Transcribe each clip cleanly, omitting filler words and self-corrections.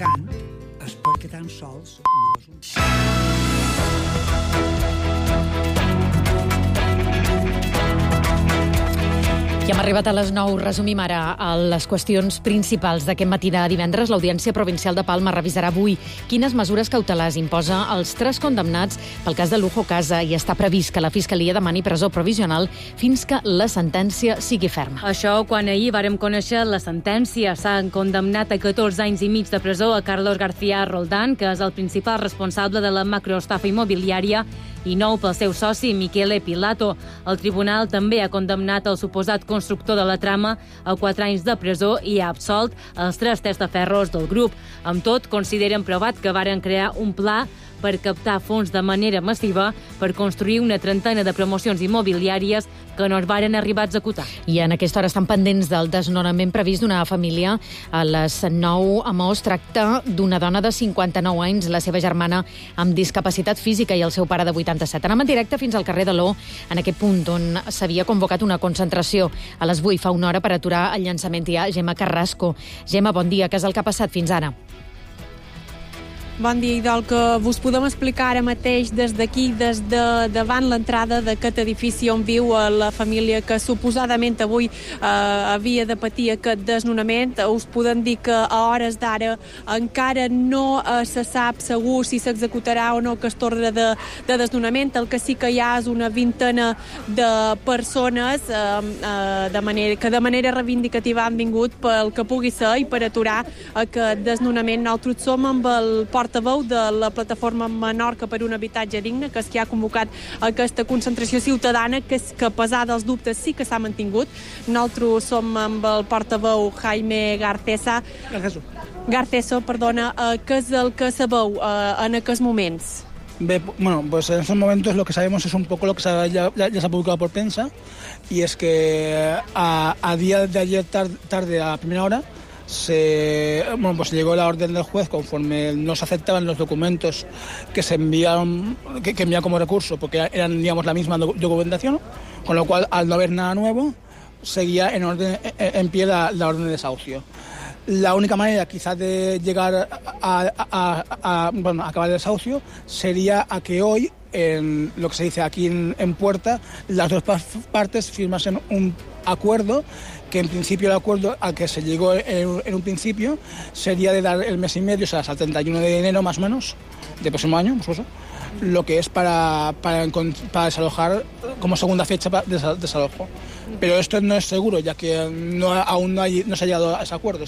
cant és perquè tan sols no és un... I hem arribat a les 9. Resumim ara les qüestions principals d'aquest matí de divendres. L'Audiència Provincial de Palma revisarà avui quines mesures cautelars imposa als 3 condemnats pel cas de Lujo Casa i està previst que la Fiscalia demani presó provisional fins que la sentència sigui ferma. Això quan ahir vàrem conèixer la sentència. S'han condemnat a 14 anys i mig de presó a Carlos García Roldán, que és el principal responsable de la macroestafa immobiliària, i 9 pel seu soci, Michele Pilato. El tribunal també ha condemnat el suposat constructor de la trama a 4 anys de presó i ha absolt els 3 testaferros del grup. Amb tot, consideren provat que varen crear un pla per captar fons de manera massiva per construir una trentena de promocions immobiliàries que no es varen arribar a executar. I en aquesta hora estan pendents del desnonament previst d'una família a les 9 a Maó. Es tracta d'una dona de 59 anys, la seva germana amb discapacitat física i el seu pare de 87. Anem en directe fins al carrer de l'O, en aquest punt on s'havia convocat una concentració a les 8 fa una hora per aturar el llançament. Hi ha Gemma Carrasco. Gemma, bon dia. Què és el que ha passat fins ara? Bon dia, Idol, que vos podem explicar ara mateix des d'aquí, des de davant l'entrada d'aquest edifici on viu la família que suposadament avui havia de patir aquest desnonament. Us podem dir que a hores d'ara encara no se sap segur si s'executarà o no aquest ordre de desnonament. El que sí que hi ha és una vintena de persones que de manera reivindicativa han vingut pel que pugui ser i per aturar aquest desnonament. Nosaltres som amb el portaveu de la plataforma Menorca per un habitatge digne, que és qui ha convocat aquesta concentració ciutadana, que a pesar dels dubtes sí que s'ha mantingut. Nosaltres som amb el portaveu Jaime Garceso, què és el que sabeu en aquests moments? Bueno, pues en estos momentos lo que sabemos es un poco lo que ya se ha publicado por prensa, y es que a día de ayer tarde a primera hora se llegó la orden del juez conforme no se aceptaban los documentos que se enviaron, que envía como recurso, porque eran, digamos, la misma documentación, con lo cual, al no haber nada nuevo, seguía en pie la orden de desahucio. La única manera quizás de llegar a acabar el desahucio sería a que hoy, en lo que se dice aquí en Puerta, las dos partes firmasen un acuerdo, que en principio el acuerdo al que se llegó en un principio sería de dar el mes y medio, o sea, hasta el 31 de enero más o menos, del próximo año, pues eso, lo que es para desalojar como segunda fecha de desalojo. Pero esto no es seguro, ya que aún no se ha llegado a ese acuerdo.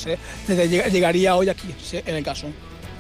Llegaría hoy aquí, en el caso.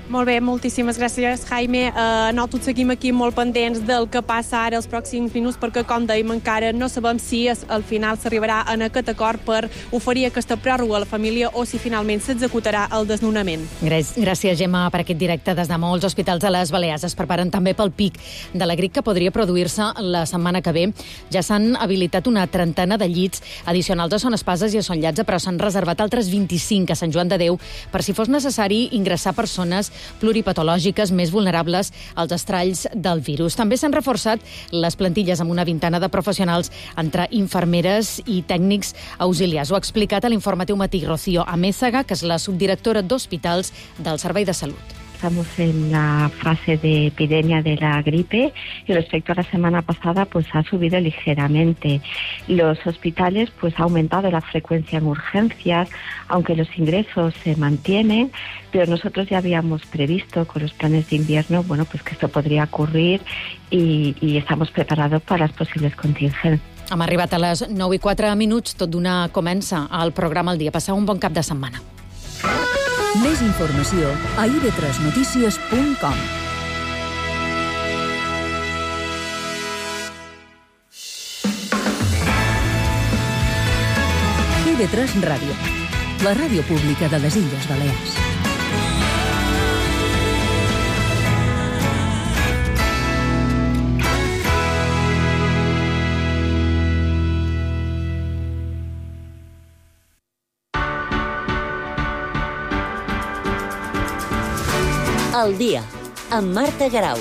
Molt bé, moltíssimes gràcies, Jaime. Nosaltres seguim aquí molt pendents del que passa ara els pròxims minuts, perquè, com dèiem, encara no sabem si al final s'arribarà en aquest acord per oferir aquesta pròrroga a la família o si finalment s'executarà el desnonament. Gràcies, Gemma, per aquest directe des de molts hospitals de les Balears. Es preparen també pel pic de la grip que podria produir-se la setmana que ve. Ja s'han habilitat una trentena de llits addicionals a Son Espases i a Son Llatze, però s'han reservat altres 25 a Sant Joan de Déu per si fos necessari ingressar persones pluripatològiques més vulnerables als estralls del virus. També s'han reforçat les plantilles amb una vintena de professionals entre infermeres i tècnics auxiliars. Ho ha explicat a l'Informatiu Matí Rocío Amézaga, que és la subdirectora d'Hospitals del Servei de Salut. Estamos en la fase de epidemia de la gripe y respecto a la semana pasada pues ha subido ligeramente. Los hospitales pues ha aumentado la frecuencia en urgencias, aunque los ingresos se mantienen, pero nosotros ya habíamos previsto con los planes de invierno, bueno, pues que esto podría ocurrir y estamos preparados para las posibles contingencias. Hem arribat a les 9:04, tot d'una comença el programa al dia. Passeu un bon cap de setmana. Més informació a ib3notícies.com. IB3 Ràdio, la ràdio pública de les Illes Balears. El dia, amb Marta Garau.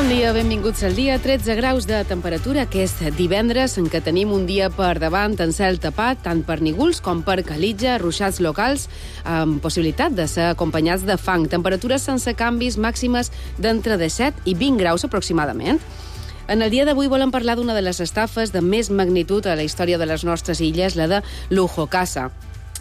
dia, benvinguts al dia. 13 graus de temperatura, que és divendres, en què tenim un dia per davant en cel tapat, tant per nígols com per calitja, ruixats locals, amb possibilitat de ser acompanyats de fang. Temperatures sense canvis, màximes d'entre 17 i 20 graus aproximadament. En el dia d'avui volem parlar d'una de les estafes de més magnitud a la història de les nostres illes, la de Lujo Casa.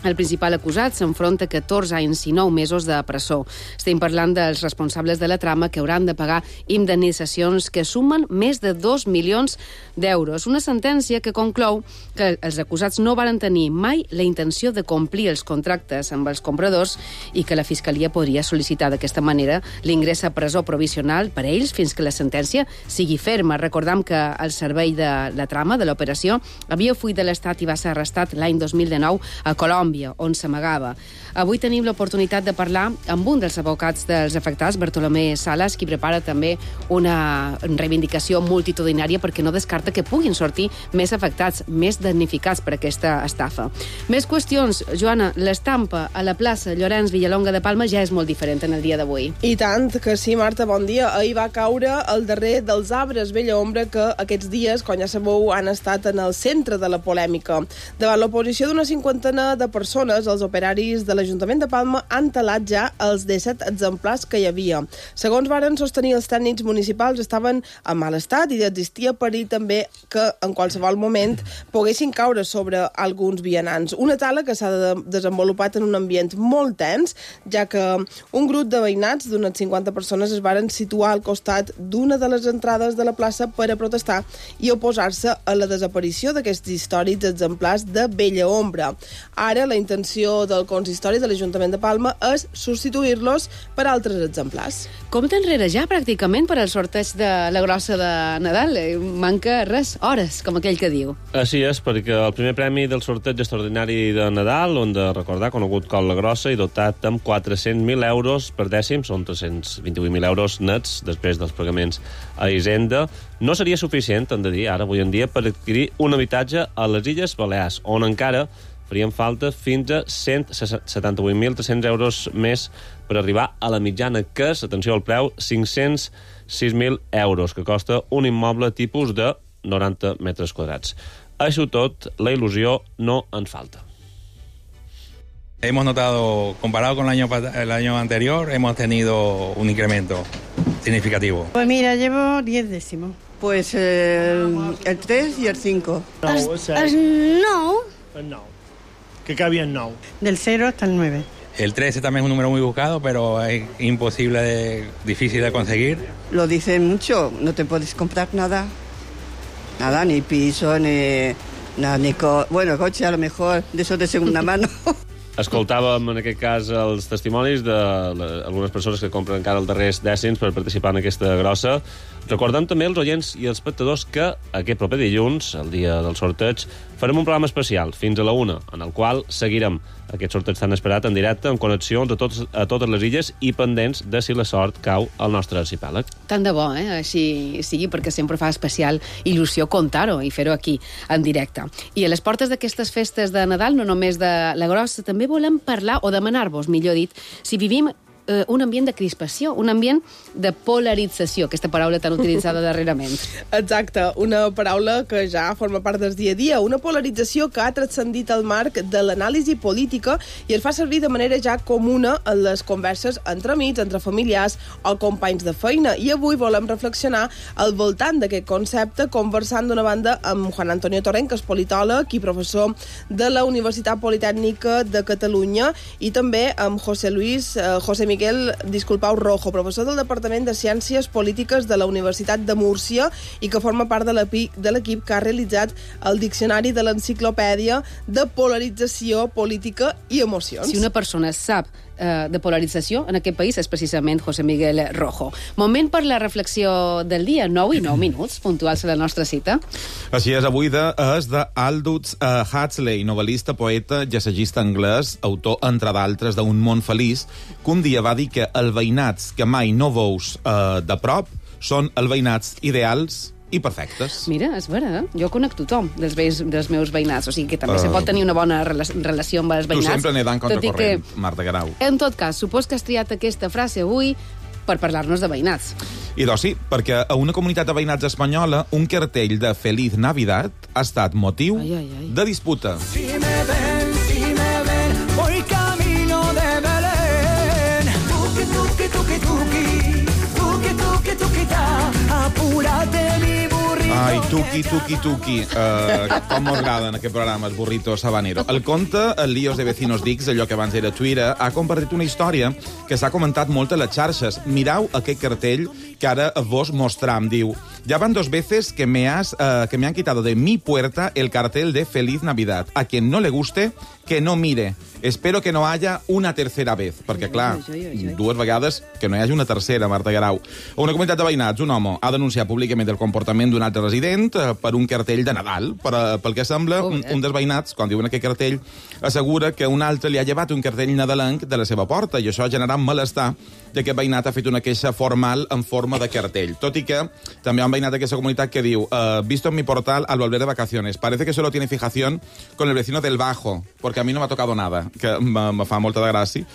El principal acusat s'enfronta a 14 anys i 9 mesos de presó. Estem parlant dels responsables de la trama que hauran de pagar indemnitzacions que sumen més de 2 milions d'euros. Una sentència que conclou que els acusats no varen tenir mai la intenció de complir els contractes amb els compradors i que la Fiscalia podria sol·licitar d'aquesta manera l'ingrés a presó provisional per a ells fins que la sentència sigui ferma. Recordam que el servei de la trama de l'operació havia fuit de l'Estat i va ser arrestat l'any 2019 a Colòmbia, on s'amagava. Avui tenim l'oportunitat de parlar amb un dels advocats dels afectats, Bartolomé Salas, qui prepara també una reivindicació multitudinària perquè no descarta que puguin sortir més afectats, més damnificats per aquesta estafa. Més qüestions. Joana, l'estampa a la plaça Llorenç Villalonga de Palma ja és molt diferent en el dia d'avui. I tant que sí, Marta, bon dia. Ahir va caure el darrer dels arbres Bella Ombra que aquests dies, com ja sabeu, han estat en el centre de la polèmica. Davant l'oposició d'una cinquantena de persones, els operaris de l'Ajuntament de Palma han talat ja els 17 exemplars que hi havia. Segons varen sostenir els tècnics municipals, estaven en mal estat i existia perill també que en qualsevol moment poguessin caure sobre alguns vianants. Una tala que s'ha desenvolupat en un ambient molt tens, ja que un grup de veïnats d'unes 50 persones es varen situar al costat d'una de les entrades de la plaça per a protestar i oposar-se a la desaparició d'aquests històrics exemplars de Bella Ombra. Ara, la intenció del consistori de l'Ajuntament de Palma és substituir-los per altres exemplars. Compte enrere ja, pràcticament, per al sorteig de la grossa de Nadal. Manca res, hores, com aquell que diu. Així és, perquè el primer premi del sorteig extraordinari de Nadal, on de recordar, conegut com la grossa, i dotat amb 400.000 euros per dècim, són 328.000 euros nets, després dels pagaments a Hisenda, no seria suficient, hem de dir, ara, avui en dia, per adquirir un habitatge a les Illes Balears, on encara farien falta fins a 178.300 euros més per arribar a la mitjana, que és, atenció al preu, 506.000 euros, que costa un immoble tipus de 90 metres quadrats. Això tot, la il·lusió no en falta. Hemos notado, comparado con el año anterior, hemos tenido un incremento significativo. Pues mira, llevo 10 décimos. Pues el 3 y el 5. El 9. El 9. Que cabía en 9. Del 0 hasta el 9. El 13 también es un número muy buscado, pero es difícil de conseguir. Lo dicen mucho, no te puedes comprar nada. Nada, ni piso, ni bueno, coche a lo mejor, de esos de segunda mano. Escoltàvem, en aquest cas, els testimonis d'algunes persones que compren encara els darrers dècims per participar en aquesta grossa. Recordem també als oients i als espectadors que aquest proper dilluns, el dia del sorteig, farem un programa especial fins a la 1, en el qual seguirem aquest sorteig tan esperat en directe, amb connexions a totes les illes i pendents de si la sort cau al nostre arxipèlag. Tant de bo, així sigui, perquè sempre fa especial il·lusió contar-ho i fer-ho aquí, en directe. I a les portes d'aquestes festes de Nadal, no només de la grossa, també volem parlar, o demanar-vos, millor dit, si vivim un ambient de crispació, un ambient de polarització, aquesta paraula tan utilitzada darrerament. Exacte, una paraula que ja forma part del dia a dia, una polarització que ha transcendit el marc de l'anàlisi política i es fa servir de manera ja comuna en les converses entre amics, entre familiars o companys de feina. I avui volem reflexionar al voltant d'aquest concepte, conversant d'una banda amb Juan Antonio Torrent, que és politòleg i professor de la Universitat Politècnica de Catalunya, i també amb José Miguel Rojo, professor del Departament de Ciències Polítiques de la Universitat de Múrcia i que forma part de l'equip que ha realitzat el Diccionari de l'Enciclopèdia de Polarització Política i Emocions. Si una persona sap de polarització en aquest país és precisament José Miguel Rojo. Moment per la reflexió del dia, 9 i 9 minuts, puntuals a la nostra cita. Així és, avui és d'Aldous Huxley, novel·lista, poeta, assagista anglès, autor, entre d'altres, d'Un món feliç, que un dia va dir que els veïnats que mai no veus de prop són els veïnats ideals i perfectes. Mira, és vera, jo conec tothom dels meus veïnats, o sigui que també se pot tenir una bona relació amb els veïnats. Tu sempre nedant contra corrent, Marta Garau. En tot cas, supos que has triat aquesta frase avui per parlar-nos de veïnats. I doncs sí, perquè a una comunitat de veïnats espanyola un cartell de Feliz Navidad ha estat motiu de disputa. Si me ven, voy camino de Belén. Tuqui, tuqui, tuqui, tuqui, tuqui, tuqui, tuqui, ta, apúrate mi burrito. Ai, tuqui. Com m'agraden aquest programa, el burrito sabanero. El conte, el Líos de Vecinos Dix, allò que abans era Twitter, ha compartit una història que s'ha comentat molt a les xarxes. Mirau aquest cartell que ara vos mostram. Diu, ya van 2 veces que me han quitado de mi puerta el cartel de Feliz Navidad. A quien no le guste, que no mire. Espero que no haya una tercera vez. Perquè, clar, 2 vegades que no hi hagi una tercera, Marta Guerau. A una comunitat de veïnats, un home ha denunciat públicament el comportament d'un altre resident per un cartell de Nadal. Pel que sembla, un dels veïnats, quan diuen aquest cartell, assegura que un altre li ha llevat un cartell nadalenc de la seva porta i això ha generat malestar i aquest veïnat ha fet una queixa formal en forma de cartell. Tot i que també hi ha un veïnat d'aquesta comunitat que diu visto en mi portal al volver de vacaciones. Parece que solo tiene fijación con el vecino del bajo, porque a mí no me ha tocado nada, que me fa molta de gràcia,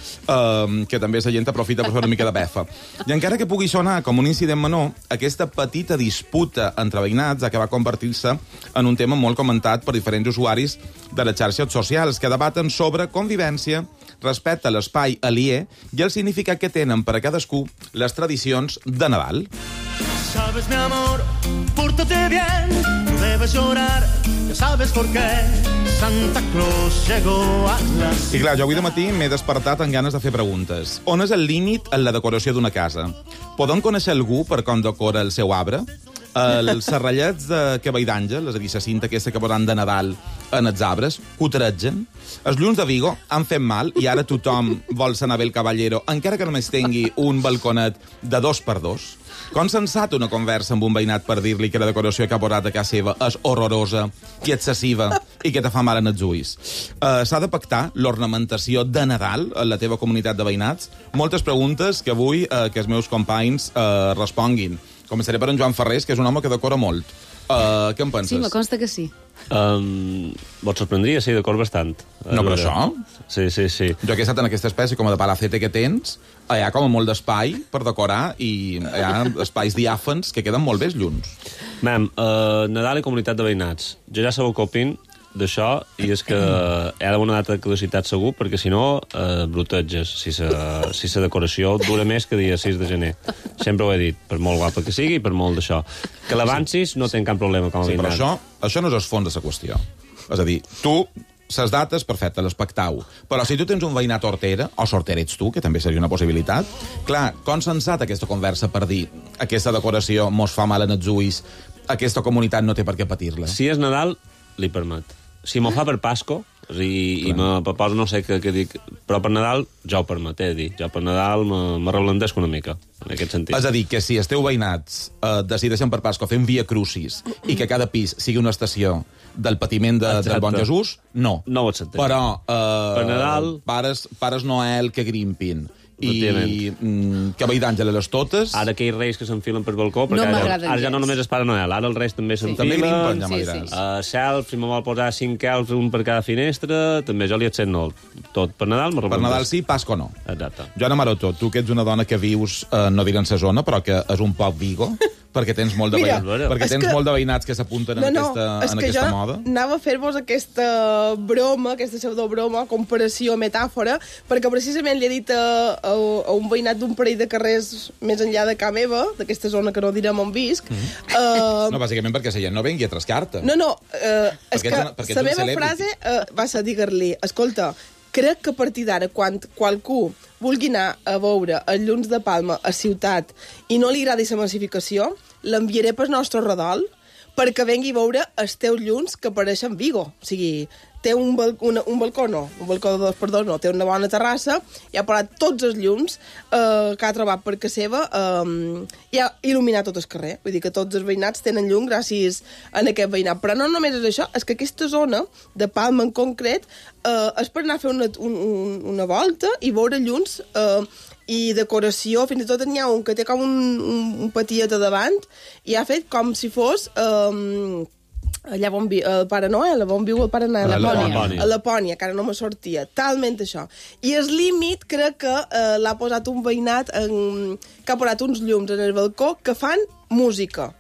que també la gent aprofita per fer una mica de befa. I encara que pugui sonar com un incident menor, aquesta petita disputa entre veïnats ha acabat convertir-se en un tema molt comentat per diferents usuaris de les xarxes socials que debaten sobre convivència, respecte a l'espai aliè i el significat que tenen per a cadascú les tradicions de Nadal. Sabes, mi amor, pórtate bien, no debes llorar, ya sabes por qué. Santa Claus llegó a las... I clar, jo avui de matí m'he despertat amb ganes de fer preguntes. On és el límit en la decoració d'una casa? Podem conèixer algú per com decora el seu arbre? Els serrallets de Cavall d'Àngel, és a dir, la cinta aquesta que posen de Nadal en els arbres, cotregen. Els llums de Vigo han fet mal i ara tothom vol ser Anabel Caballero, encara que només tingui un balconet de 2x2. Com sensat una conversa amb un veïnat per dir-li que la decoració que ha posat a casa seva és horrorosa i excessiva i que te fa mal en els ulls. S'ha de pactar l'ornamentació de Nadal en la teva comunitat de veïnats? Moltes preguntes que vull que els meus companys responguin. Començaré per en Joan Ferrés, que és un home que decora molt. Què en penses? Sí, me consta que sí. Vos sorprendria, sí, decor bastant. No, però això? Sí. Jo que he estat en aquesta espècie com de palacete que tens, hi ha com molt d'espai per decorar i hi ha espais diàfans que queden molt bé els llums. Mem, Nadal i comunitat de veïnats. Jo ja sabeu què opin d'això i és que hi ha d'una data de caducitat segur perquè si no broteges si la decoració dura més que dia 6 de gener. Sempre ho he dit, per molt guapa que sigui i per molt d'això. Que l'avancis no ten cap problema com a veïnat. Però això no és el fons de la qüestió. És a dir, tu les dates, perfecte, les pactau. Però si tu tens un veïnat hortera, o sortera ets tu, que també seria una possibilitat, clar, com sensat aquesta conversa per dir aquesta decoració mos fa mal en els ulls, aquesta comunitat no té per què patir-la? Si és Nadal, li permet. Si m'ho fa per Pasco, i me proposo no sé què dic, però per Nadal ja ho permet, jo per Nadal me reblandesco una mica, en aquest sentit. És a dir, que si els teus veïnats decideixen per Pasco fer un via crucis i que cada pis sigui una estació del patiment del bon Jesús, no. No ho acceptem. Però per Nadal... pares Noel que grimpin i Cavall d'Àngel a les totes. Ara aquells reis que s'enfilen per balcó, perquè ara ja no només és Pare Noel, ara els reis també s'enfilen. També grimpen, ja m'agràs. Self, si me vol posar 5 elfs, un per cada finestra, també jo li accent no. Tot per Nadal Per Nadal sí, Pasco no. Exacte. Joana Maroto, tu que ets una dona que vius, no diré en sa zona, però que és un poc Vigo, perquè tens molt de veïnats que s'apunten en aquesta moda. Anava a fer-vos aquesta broma, aquesta pseudobroma, comparació, metàfora, perquè precisament li he dit a un veïnat d'un parell de carrers més enllà de casa meva, d'aquesta zona que no direm on visc. No, bàsicament perquè la gent no vengui a trascar-te. No, és que la meva frase va ser dir-li, escolta, crec que a partir d'ara, quan qualcú vulgui anar a veure els llums de Palma a ciutat i no li agradi la massificació, l'enviaré pel nostre redol perquè vengui a veure els teus llums que apareixen Vigo. O sigui, té un balcó de 2x2, no, té una bona terrassa, i ha parat tots els llums que ha trobat per casa seva i ha il·luminat tot el carrer. Vull dir que tots els veïnats tenen llum gràcies a aquest veïnat. Però no només és això, és que aquesta zona de Palma en concret és per anar a fer una volta i veure llums i decoració. Fins i tot n'hi ha un que té com un patiet a davant i ha fet com si fos allà on viu el Pare Noel, on viu el Pare Noel, a Lapònia, que ara no me sortia, talment això. I el límit crec que l'ha posat un veïnat que ha posat uns llums en el balcó que fan música.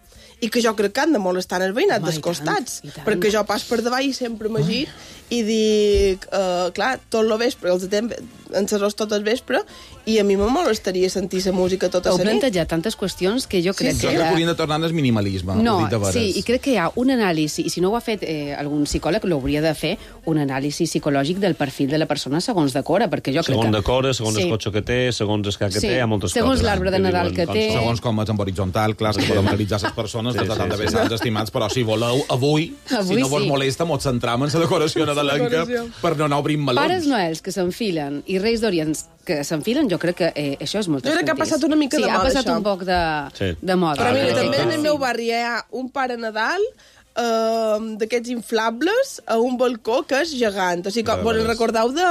I que jo crec que han de molestar els veïnats dels costats, perquè jo pas per davall i sempre m'agir i dic, clar, tot el vespre, els temps encerros tot el vespre, i a mi me molestaria sentir la música tota la nit. Heu plantejat tantes qüestions que jo crec que... Jo crec que haurien de tornar al minimalisme. No, sí, i crec que hi ha un anàlisi, i si no ho ha fet algun psicòleg, l'hauria de fer un anàlisi psicològic del perfil de la persona segons decora, perquè jo crec que... Segons decora, segons el cotxe que té, segons el que té, hi ha moltes coses. Segons l'arbre de Nadal que té... Segons com és en horitzontal, clar, que podem analitzar les persones, de tant de bé sants estimats, però si voleu, avui si no vos molesta, mos centram en la decoració nadalenca per no anar obrint melons. Pares Noels que s'enfilen i Reis d'Orients que s'enfilen, jo crec que això és molt Jo crec que ha passat una mica de moda, això. Sí, ha passat un poc de moda. Però mira, també en el meu barri hi ha un Pare Nadal d'aquests inflables a un balcó que és gegant. O sigui, vos recordeu de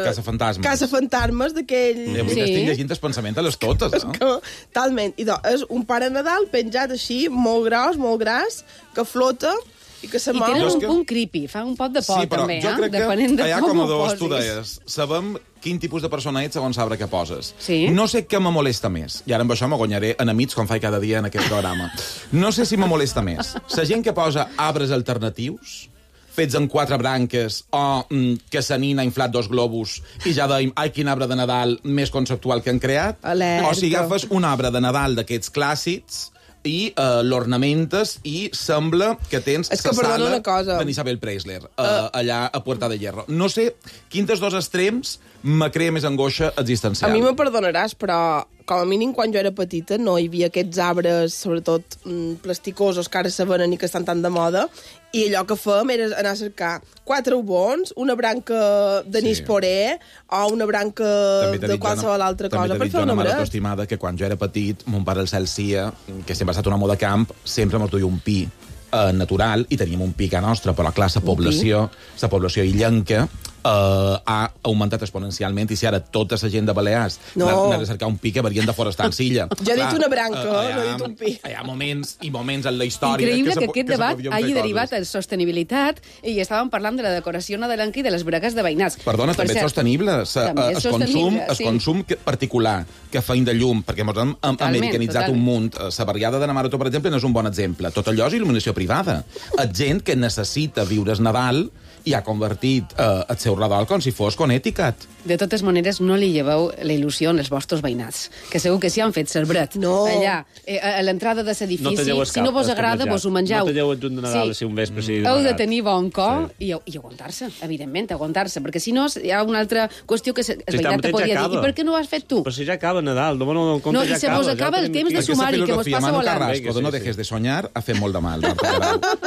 Casa Fantasmes, d'aquell... Avui estic llegint el pensament de les totes, no? Talment. I és un Pare Nadal penjat així, molt gras, que flota, i tenen un punt creepy, fa un pot de por, també, jo crec que allà com a dos, tu deies, sabem quin tipus de persona ets segons l'arbre que poses. Sí. No sé què me molesta més, i ara amb això me guanyaré enemics com faig cada dia en aquest programa. No sé si me molesta més la gent que posa arbres alternatius, fets amb 4 branques, o que sa nina ha inflat 2 globus i ja deim, ai, quin arbre de Nadal més conceptual que han creat. Alerta. O si agafes un arbre de Nadal d'aquests clàssics i l'ornamentes i sembla que tens la sala d'en Isabel Preisler allà a Puerta de Hierro. No sé quin dels dos extrems me crea més angoixa existencial. A mi me perdonaràs, però com a mínim quan jo era petita no hi havia aquests arbres, sobretot plasticosos, que ara se venen i que estan tan de moda, i allò que fèiem era anar a cercar 4 ubons, una branca d'anís poré o una branca de qualsevol altra cosa per fer un arbret. També t'he dit, estimada, que quan jo era petit, mon pare el Celsia, que sempre ha estat un home de camp, sempre m'ho duia un pi natural, i teníem un pi a nostre, però clar, la població illenca ha augmentat exponencialment, i si ara tota la gent de Balears anés a cercar un pi que varien de forestar en Silla. Jo he dit una branca, no he dit un pi. Hi ha moments i moments en la història... Increïble que aquest debat hagi derivat en sostenibilitat, i estàvem parlant de la decoració nadalenca i de les bregues de veïnats. Perdona, també és sostenible. El consum particular que feim de llum, perquè ens hem americanitzat un munt. La barriada de Namaroto, per exemple, no és un bon exemple. Tot allò és il·luminació privada. És gent que necessita viure el Nadal i ha convertit el seu redol com si fos Connecticut. De totes maneres, no li lleveu la il·lusió als vostres veïnats, que segur que s'hi han fet cerbret. No. Allà, a l'entrada de l'edifici, si no vos agrada, vos ho mengeu. No talleu el junt de Nadal, si un vespre sigui heu de tenir bon cor i aguantar-se, evidentment, aguantar-se, perquè si no hi ha una altra qüestió que el veïnat te podria dir. I per què no ho has fet tu? Però si ja acaba Nadal, no compte, ja acaba. No, i se vos acaba el temps de sumar-hi, que vos passa volant. Carrasco, no dejes de soñar, ha fet molt de mal.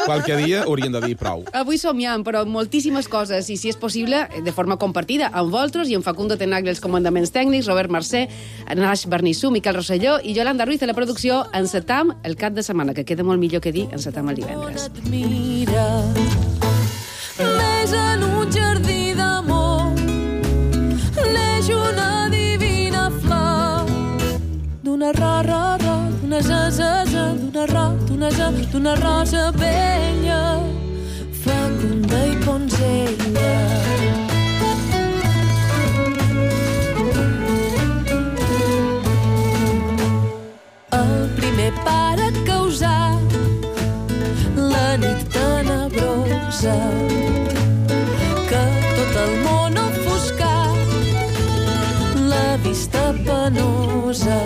Qualque dia haurien de dir prou. Avui somiem, però moltíssimes coses, i si és possible, de forma compartida, amb vosaltres i amb Facundo Tenagli els comandaments tècnics, Robert Mercè, Naix Bernissú, Miquel Rosselló i Yolanda Ruiz a la producció. Encetam el cap de setmana, que queda molt millor que dir encetam el divendres. Neix en un jardí d'amor, neix una divina flor, d'una d'una d'una rosa vella, fecunda i ponzella. El primer pare causar la nit tenebrosa, que tot el món ofuscar, la vista penosa.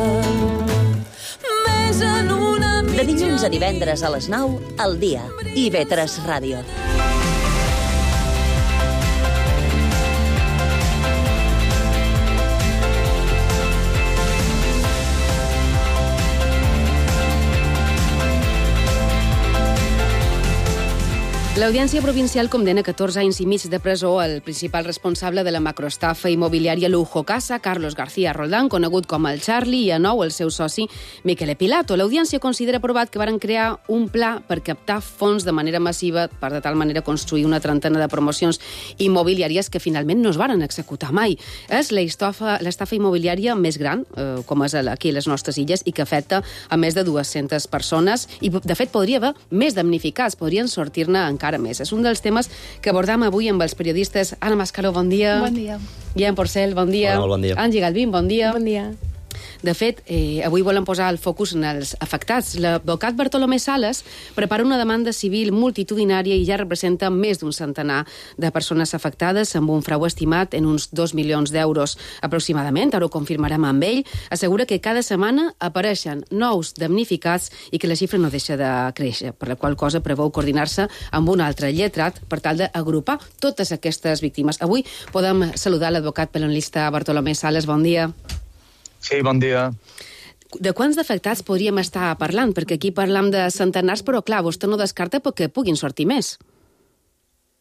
Més en una mitja... De dilluns a divendres a les 9, al dia. IB3 Ràdio. L'Audiència Provincial condena 14 anys i mig de presó al principal responsable de la macroestafa immobiliària Lujo Casa, Carlos García Roldán, conegut com el Charlie, i a nou el seu soci Miquel Pilato. L'Audiència considera aprovat que varen crear un pla per captar fons de manera massiva per de tal manera construir una trentena de promocions immobiliàries que finalment no es varen executar mai. És l'estafa immobiliària més gran, com és aquí a les nostres illes, i que afecta a més de 200 persones i, de fet, podria haver més damnificats, podrien sortir-ne encara més. És un dels temes que abordam avui amb els periodistes. Anna Mascaró, bon dia. Bon dia. Guillem Porcel, bon dia. Hola, bon dia. Angie Galvín, bon dia. Bon dia. De fet, avui volen posar el focus en els afectats. L'advocat Bartolomé Sales prepara una demanda civil multitudinària i ja representa més d'un centenar de persones afectades amb un frau estimat en uns 2 milions d'euros aproximadament. Ara ho confirmarem amb ell. Assegura que cada setmana apareixen nous damnificats i que la xifra no deixa de créixer, per la qual cosa preveu coordinar-se amb un altre lletrat per tal d'agrupar totes aquestes víctimes. Avui podem saludar l'advocat penalista Bartolomé Sales. Bon dia. Sí, bon dia. De quants d'afectats podríem estar parlant? Perquè aquí parlam de centenars, però clar, vostè no descarta perquè puguin sortir més.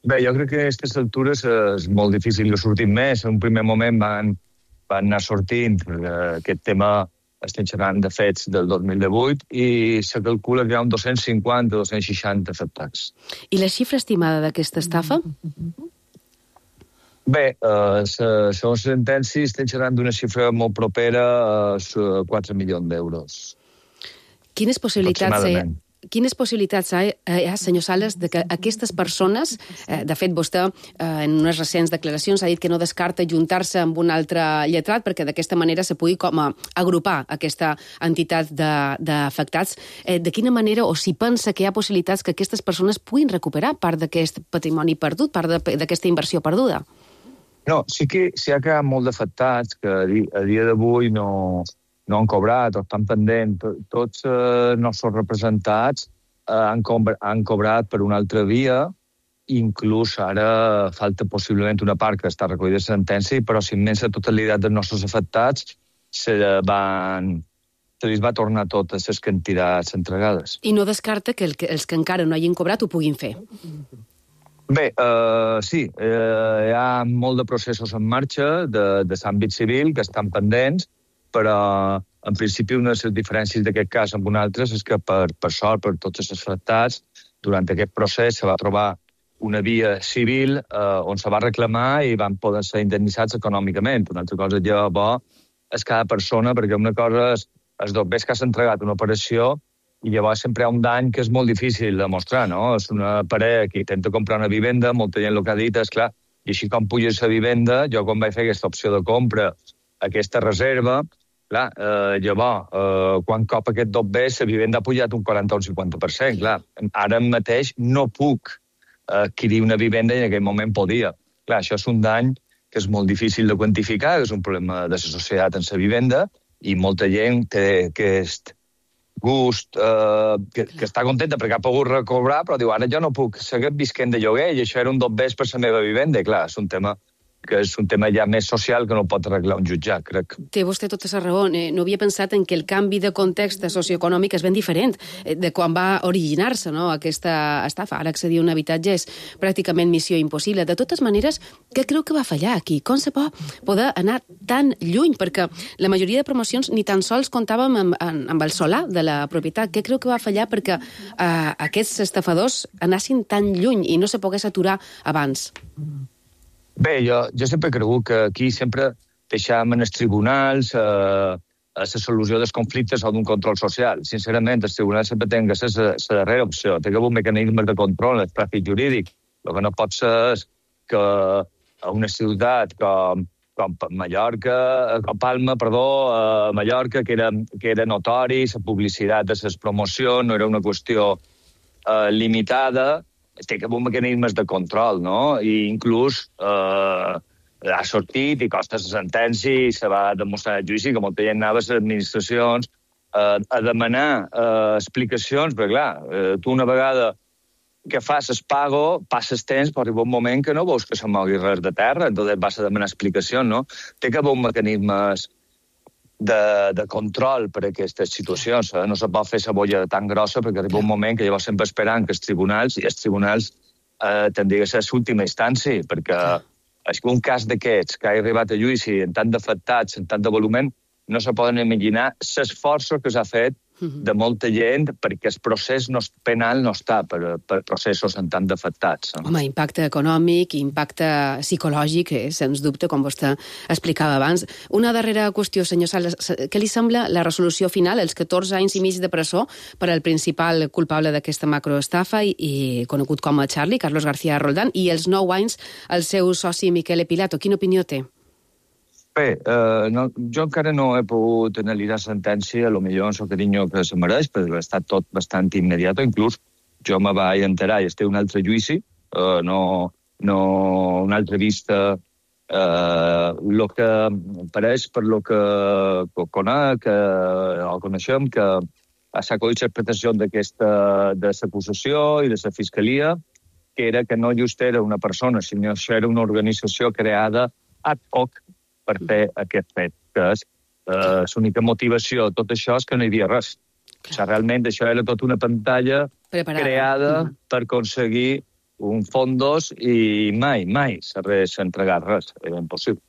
Bé, jo crec que a aquestes altures és molt difícil que sortin més. En un primer moment van anar sortint, aquest tema estem xerrant de fets del 2018, i se calcula que hi ha 250-260 afectats. I la xifra estimada d'aquesta estafa? Bé, segons sentència estem xerrant d'una xifra molt propera a 4 milions d'euros. Quines possibilitats hi ha, senyor Sales, de que aquestes persones, de fet, vostè en unes recents declaracions ha dit que no descarta juntar-se amb un altre lletrat perquè d'aquesta manera se pugui com a agrupar aquesta entitat d'afectats. De quina manera, o si pensa que hi ha possibilitats que aquestes persones puguin recuperar part d'aquest patrimoni perdut, part d'aquesta inversió perduda? No, sí que hi ha quedat molt d'afectats que a dia d'avui no han cobrat o estan pendents. Tots els nostres representats han cobrat per una altra via, inclús ara falta possiblement una part que està recollida de sentència, però la immensa totalitat dels nostres afectats se li va tornar totes les quantitats entregades. I no descarta que els que encara no hagin cobrat ho puguin fer? Bé, sí, hi ha molt de processos en marxa de l'àmbit civil que estan pendents, però en principi una de les diferències d'aquest cas amb un altre és que per sort, per tots els afectats, durant aquest procés se va trobar una via civil on se va reclamar i van poder ser indemnitzats econòmicament. Una altra cosa bo és cada persona, perquè una cosa és els dobbers que has entregat una operació i llavors sempre hi ha un dany que és molt difícil de mostrar, no? És una parella que intenta comprar una vivenda, molta gent el que ha dit és, clar, i així com puges la vivenda, jo quan vaig fer aquesta opció de compra, aquesta reserva, clar, llavors, quan cop aquest dobber, la vivenda ha pujat un 40 o un 50%, clar. Ara mateix no puc adquirir una vivenda i en aquell moment podia. Clar, això és un dany que és molt difícil de quantificar, és un problema de la societat en la vivenda, i molta gent té aquest gust, que està contenta perquè ha pogut recobrar, però diu, ara jo no puc seguir visquent de lloguer i això era un dobbers per la meva vivenda. I clar, és un tema ja més social que no pot arreglar un jutjat, crec. Té vostè tota la raó. No havia pensat en que el canvi de context socioeconòmic és ben diferent de quan va originar-se, no, aquesta estafa. Ara accedir a un habitatge és pràcticament missió impossible. De totes maneres, què creu que va fallar aquí? Com se pot poder anar tan lluny? Perquè la majoria de promocions ni tan sols comptàvem amb el solar de la propietat. Què creu que va fallar perquè aquests estafadors anassin tan lluny i no se pogués aturar abans? Bé, jo sempre he cregut que aquí sempre deixàvem en els tribunals la solució dels conflictes o d'un control social. Sincerament, els tribunals sempre tenen que ser la darrera opció. Té que haver un mecanisme de control, el tràfic jurídic. El que no pot ser és que a una ciutat com Mallorca, Mallorca, que era notori, la publicitat de les promocions no era una qüestió limitada, té que haver mecanismes de control, no? I inclús ha sortit i costa la sentència i se va demostrar el judici que molta gent anava a les administracions a demanar explicacions, perquè clar, tu una vegada que fas el pago, passes temps, però arriba un moment que no veus que se mogui res de terra, entonces vas a demanar explicacions, no? Té que haver mecanismes de control per a aquestes situacions. No se pot fer la bolla tan grossa perquè arriba un moment que llavors sempre esperant que els tribunals tindria que ser l'última instància, perquè un cas d'aquests que ha arribat a judici en tant d'afectats, en tant de volumen, no se poden imaginar l'esforç que s'ha fet de molta gent perquè el procés penal no està per processos en tant d'afectats. Home, impacte econòmic i impacte psicològic, sens dubte, com vostè explicava abans. Una darrera qüestió, senyor Sales. Què li sembla la resolució final, els 14 anys i mig de presó per al principal culpable d'aquesta macroestafa i conegut com a Charlie, Carlos García Roldán, i els 9 anys el seu soci Miquel Pilato? Quina opinió té? Bé, jo encara no he pogut analitzar sentència, potser en el carinyo que se mereix, perquè ha estat tot bastant immediat, inclús jo me vaig enterar i estic un altre judici, no una altra vista, el que pareix per lo que conec, o coneixem, que s'ha acollit l'interpretació de l'acusació i de la fiscalia, que era que no just era una persona, sinó que era una organització creada ad hoc per fer aquest fet, que és l'única motivació de tot això és que no hi havia res. O sigui, realment això era tota una pantalla creada per aconseguir un fondos i mai s'ha entregat res, era impossible.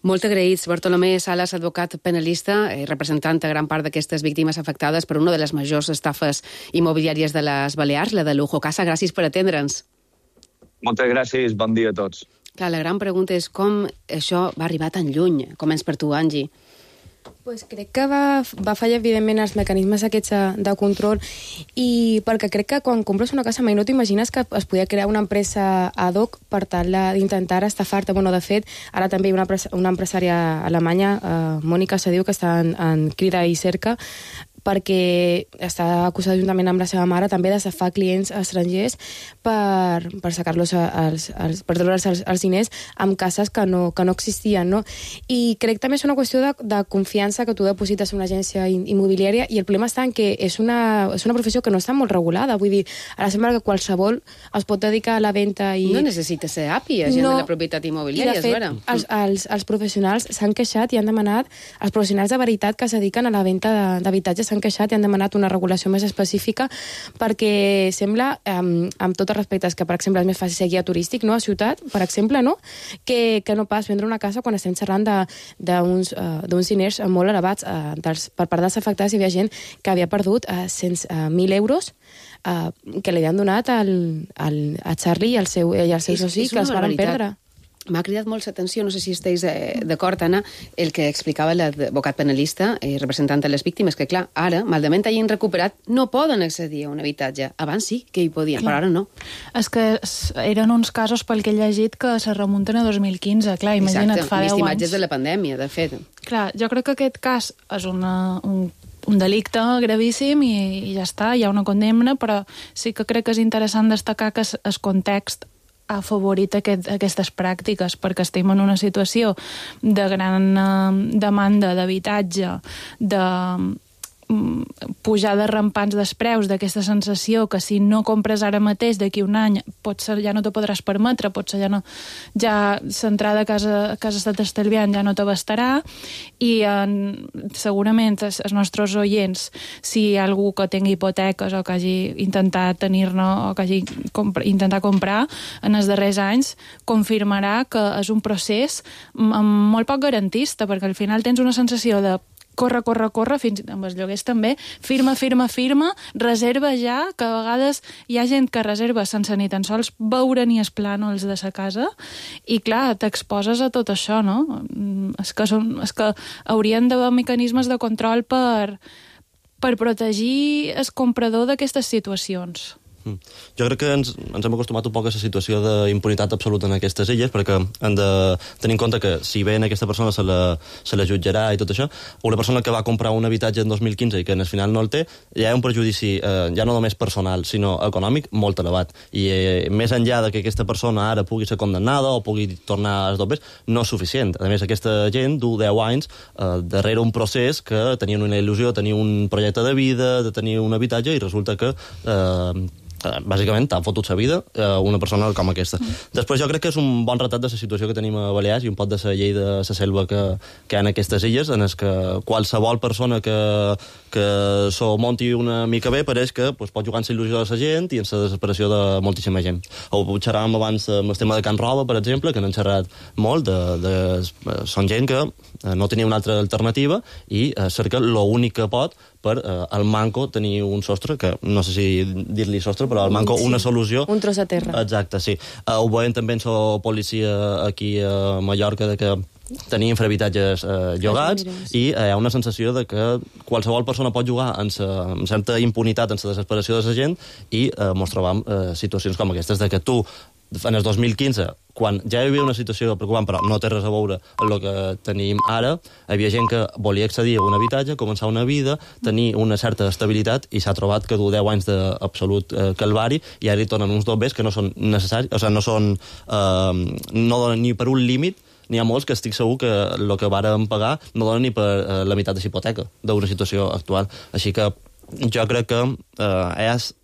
Molt agraïts. Bartolomé Salas, advocat penalista, representant a gran part d'aquestes víctimes afectades per una de les majors estafes immobiliàries de les Balears, la de Lujo Casa. Gràcies per atendre'ns. Moltes gràcies, bon dia a tots. Clar, la gran pregunta és com això va arribar tan lluny. Començ per tu, Angie. Pues crec que va fallar, evidentment, els mecanismes aquests de control i perquè crec que quan compres una casa mai no t'imagines que es podia crear una empresa ad hoc per tal d'intentar estafar-te. Bueno, de fet, ara també hi ha una empresària alemanya, Mònica se diu, que està en crida i cerca, perquè està acusada juntament amb la seva mare també d'estafar clients estrangers per sacar-los per treure'ls els diners amb cases que no existien, no? I crec també és una qüestió de confiança que tu deposites en una agència immobiliària i el problema està en que és una professió que no està molt regulada, vull dir, ara sembla que qualsevol es pot dedicar a la venda i... No necessita ser API, gent de la propietat immobiliària, és vera. I de fet, els professionals s'han queixat i han demanat, els professionals de veritat que es dediquen a la venda d'habitatges s'han queixat i han demanat una regulació més específica perquè sembla, amb tot el respecte, que per exemple és més fàcil ser guia turístic, no? A ciutat, per exemple, no? Que no pas vendre una casa quan estem xerrant d'uns diners molt elevats per part dels afectats. Hi havia gent que havia perdut 100.000 euros que li havien donat a Charlie i al seu soci, que els van perdre. M'ha cridat molt l'atenció, no sé si esteu d'acord, Anna, el que explicava l'advocat penalista, representant de les víctimes, que clar, ara, malament hagin recuperat, no poden accedir a un habitatge. Abans sí que hi podien, però ara no. És que eren uns casos, pel que he llegit, que se remunten a 2015. Clar, imagina't, fa 10 anys. Vist imatges de la pandèmia, de fet. Clar, jo crec que aquest cas és un delicte gravíssim i ja està, hi ha una condemna, però sí que crec que és interessant destacar que el context ha afavorit aquestes pràctiques, perquè estem en una situació de gran demanda d'habitatge, de pujada rampants dels preus, d'aquesta sensació que si no compres ara mateix, d'aquí un any, potser ja no te podràs permetre, potser ja l'entrada que has estat estalviant ja no t'abastarà, i segurament els nostres oients, si hi ha algú que tingui hipoteques o que hagi intentat tenir-ne o que hagi intentat comprar en els darrers anys, confirmarà que és un procés molt poc garantista, perquè al final tens una sensació de corre, fins amb els lloguers també, firma, reserva ja, que a vegades hi ha gent que reserva sense ni tan sols veure ni els plànols de sa casa, i clar, t'exposes a tot això, no? És que haurien d'haver mecanismes de control per protegir el comprador d'aquestes situacions. Jo crec que ens hem acostumat un poc a la situació d'impunitat absoluta en aquestes illes, perquè hem de tenir en compte que si bé en aquesta persona se la jutjarà i tot això, una persona que va comprar un habitatge en 2015 i que en el final no el té, ja hi ha un prejudici ja no només personal, sinó econòmic molt elevat. I més enllà de que aquesta persona ara pugui ser condemnada o pugui tornar als dobles, no és suficient. A més, aquesta gent du 10 anys darrere un procés que tenien una il·lusió, tenien un projecte de vida, de tenir un habitatge, i resulta que bàsicament t'ha fotut la vida una persona com aquesta. Després jo crec que és un bon retrat de la situació que tenim a Balears i un pot de la llei de la selva que hi ha en aquestes illes, en el que qualsevol persona que s'ho monti una mica bé pareix que pot jugar en la il·lusió de la gent i en la desesperació de moltíssima gent. Ho xerràvem abans amb el tema de Can Roba, per exemple, que n'han xerrat molt, són gent que no tenia una altra alternativa i cerca l'únic que pot per al manco tenir un sostre, que no sé si dir-li sostre, però al manco una solució. Un tros de terra. Exacte, sí. Ho veiem també en la policia aquí a Mallorca, de que tenir infrahabitatges llogats i hi ha una sensació de que qualsevol persona pot jugar amb certa impunitat, amb la desesperació de la gent i mos trobam situacions com aquestes, de que tu en el 2015, quan ja hi havia una situació preocupant, però no té res a veure amb el que tenim ara, hi havia gent que volia accedir a un habitatge, començar una vida, tenir una certa estabilitat, i s'ha trobat que du 10 anys d'absolut calvari, i ara hi tornen uns dobbers que no són necessaris, o sigui, no donen ni per un límit, n'hi ha molts que estic segur que el que vàrem pagar no dona ni per la meitat de hipoteca d'una situació actual. Així que jo crec que és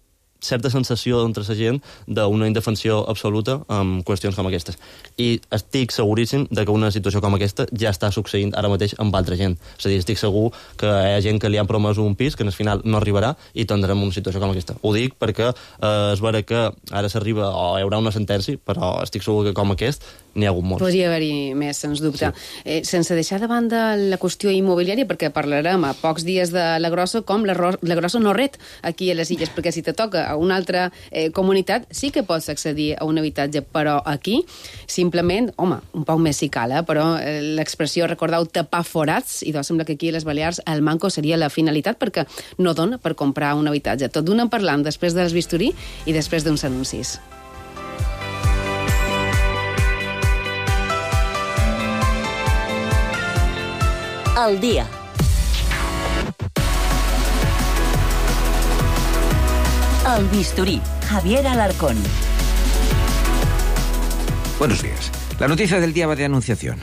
certa sensació entre la gent d'una indefensió absoluta amb qüestions com aquestes. I estic seguríssim de que una situació com aquesta ja està succeint ara mateix amb altra gent. És a dir, estic segur que hi ha gent que li han promès un pis que al final no arribarà i tindrem una situació com aquesta. Ho dic perquè és vera que ara s'arriba o hi haurà una sentència, però estic segur que com aquest n'hi ha hagut molts. Podria haver-hi més, sens dubte. Sí. Sense deixar de banda la qüestió immobiliària, perquè parlarem a pocs dies de la Grossa, com la Grossa no ret aquí a les illes, perquè si te toca a una altra comunitat sí que pots accedir a un habitatge, però aquí simplement, home, un poc més si cal, però l'expressió, recordeu, tapar forats, i doncs sembla que aquí a les Balears el manco seria la finalitat, perquè no dona per comprar un habitatge. Tot d'una parlant després dels bisturí i després d'uns anuncis. Al día. El bisturí. Javier Alarcón. Buenos días. La noticia del día va de Anunciación.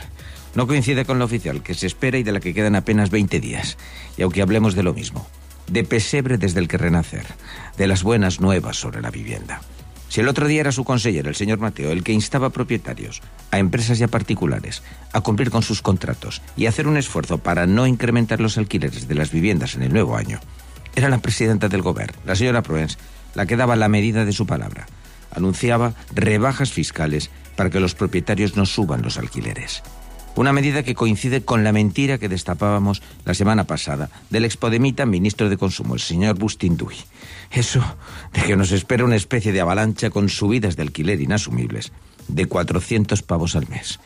No coincide con la oficial, que se espera y de la que quedan apenas 20 días. Y aunque hablemos de lo mismo, de pesebre desde el que renacer, de las buenas nuevas sobre la vivienda. Si el otro día era su consejero, el señor Mateo, el que instaba a propietarios, a empresas y a particulares a cumplir con sus contratos y hacer un esfuerzo para no incrementar los alquileres de las viviendas en el nuevo año, era la presidenta del Gobierno, la señora Proens, la que daba la medida de su palabra. Anunciaba rebajas fiscales para que los propietarios no suban los alquileres. Una medida que coincide con la mentira que destapábamos la semana pasada del expodemita ministro de Consumo, el señor Bustinduy. Eso de que nos espera una especie de avalancha con subidas de alquiler inasumibles de 400 pavos al mes.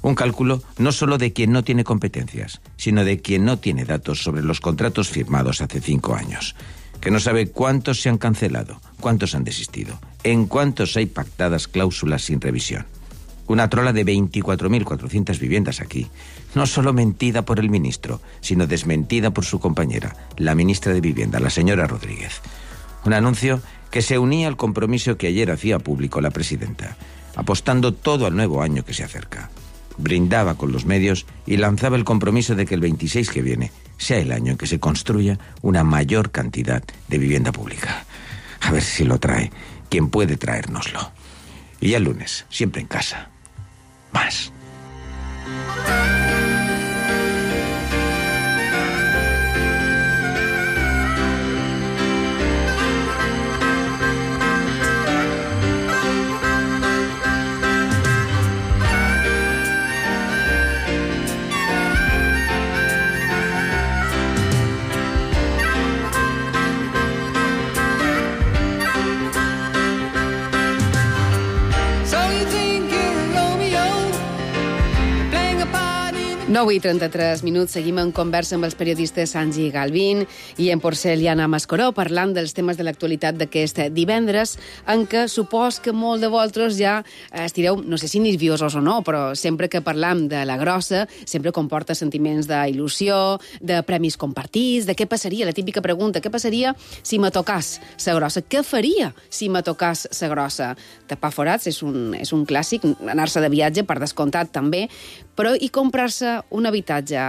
Un cálculo no solo de quien no tiene competencias, sino de quien no tiene datos sobre los contratos firmados hace 5 años. Que no sabe cuántos se han cancelado, cuántos han desistido, en cuántos hay pactadas cláusulas sin revisión. Una trola de 24.400 viviendas aquí, no solo mentida por el ministro, sino desmentida por su compañera, la ministra de Vivienda, la señora Rodríguez. Un anuncio que se unía al compromiso que ayer hacía público la presidenta, apostando todo al nuevo año que se acerca. Brindaba con los medios y lanzaba el compromiso de que el 26 que viene sea el año en que se construya una mayor cantidad de vivienda pública. A ver si lo trae quien puede traérnoslo. Y ya el lunes, siempre en casa. Más. So you think you're Romeo, playing a part in 9:33 minuts, seguim en conversa amb els periodistes Angie Galvín i en Porceliana Mascoró, parlant dels temes de l'actualitat d'aquest divendres, en què supos que molt de vosaltres ja estireu, no sé si nerviosos o no, però sempre que parlam de la Grossa, sempre comporta sentiments d'il·lusió, de premis compartits, de què passaria, la típica pregunta, què passaria si me tocàs la Grossa? Què faria si me tocàs la Grossa? Tapar forats és un clàssic, anar-se de viatge, per descomptat també, Però i comprar-se un habitatge?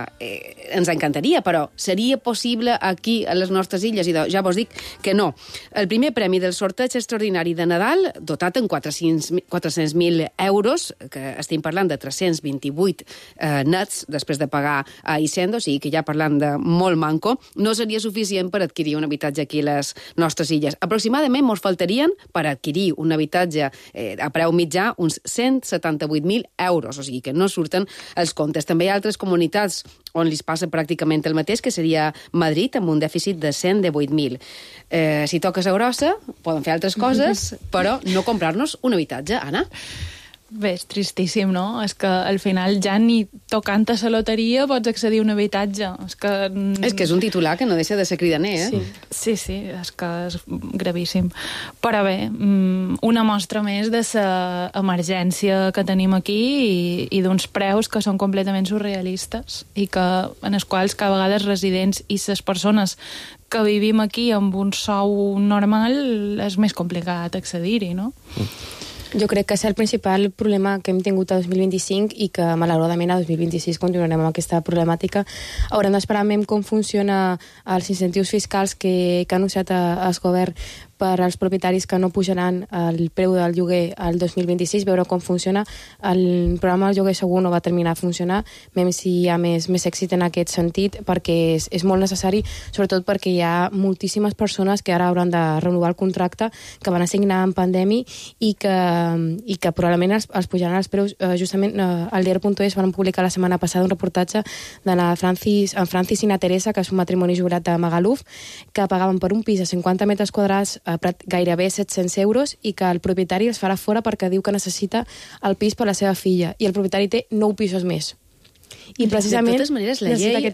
Ens encantaria, però seria possible aquí, a les nostres illes? I ja vos dic que no. El primer premi del sorteig extraordinari de Nadal, dotat en 400.000 euros, que estem parlant de 328 nets, després de pagar a Hisenda, o sigui que ja parlant de molt manco, no seria suficient per adquirir un habitatge aquí a les nostres illes. Aproximadament ens faltarien, per adquirir un habitatge a preu mitjà, uns 178.000 euros, o sigui que no surten els comptes. També hi ha altres comunitats on li passa pràcticament el mateix, que seria Madrid, amb un dèficit de 118.000. Si toques a grossa, poden fer altres coses, però no comprar-nos un habitatge, Anna. Bé, és tristíssim, no? És que al final ja ni tocant a la loteria pots accedir a un habitatge. És que és un titular que no deixa de ser cridaner, eh? Sí, és que és gravíssim. Però bé, una mostra més de la emergència que tenim aquí i d'uns preus que són completament surrealistes i en els quals cada vegada els residents i les persones que vivim aquí amb un sou normal és més complicat accedir-hi, no? Jo crec que és el principal problema que hem tingut a 2025 i que malauradament a 2026 continuarem amb aquesta problemàtica. Haurem d'esperar com funciona els incentius fiscals que ha anunciat el govern per als propietaris que no pujaran el preu del lloguer al 2026, veure com funciona. El programa del lloguer segur no va terminar a funcionar, même si hi ha més èxit en aquest sentit, perquè és molt necessari, sobretot perquè hi ha moltíssimes persones que ara hauran de renovar el contracte, que van assignar en pandèmia i que probablement els pujaran els preus. Justament al diari.es van publicar la setmana passada un reportatge de la Francis i na Teresa, que és un matrimoni jubilat de Magaluf, que pagaven per un pis a 50 metres quadrats gairebé 700 euros i que el propietari els farà fora perquè diu que necessita el pis per la seva filla i el propietari té 9 pisos més. I precisament de totes maneres la llei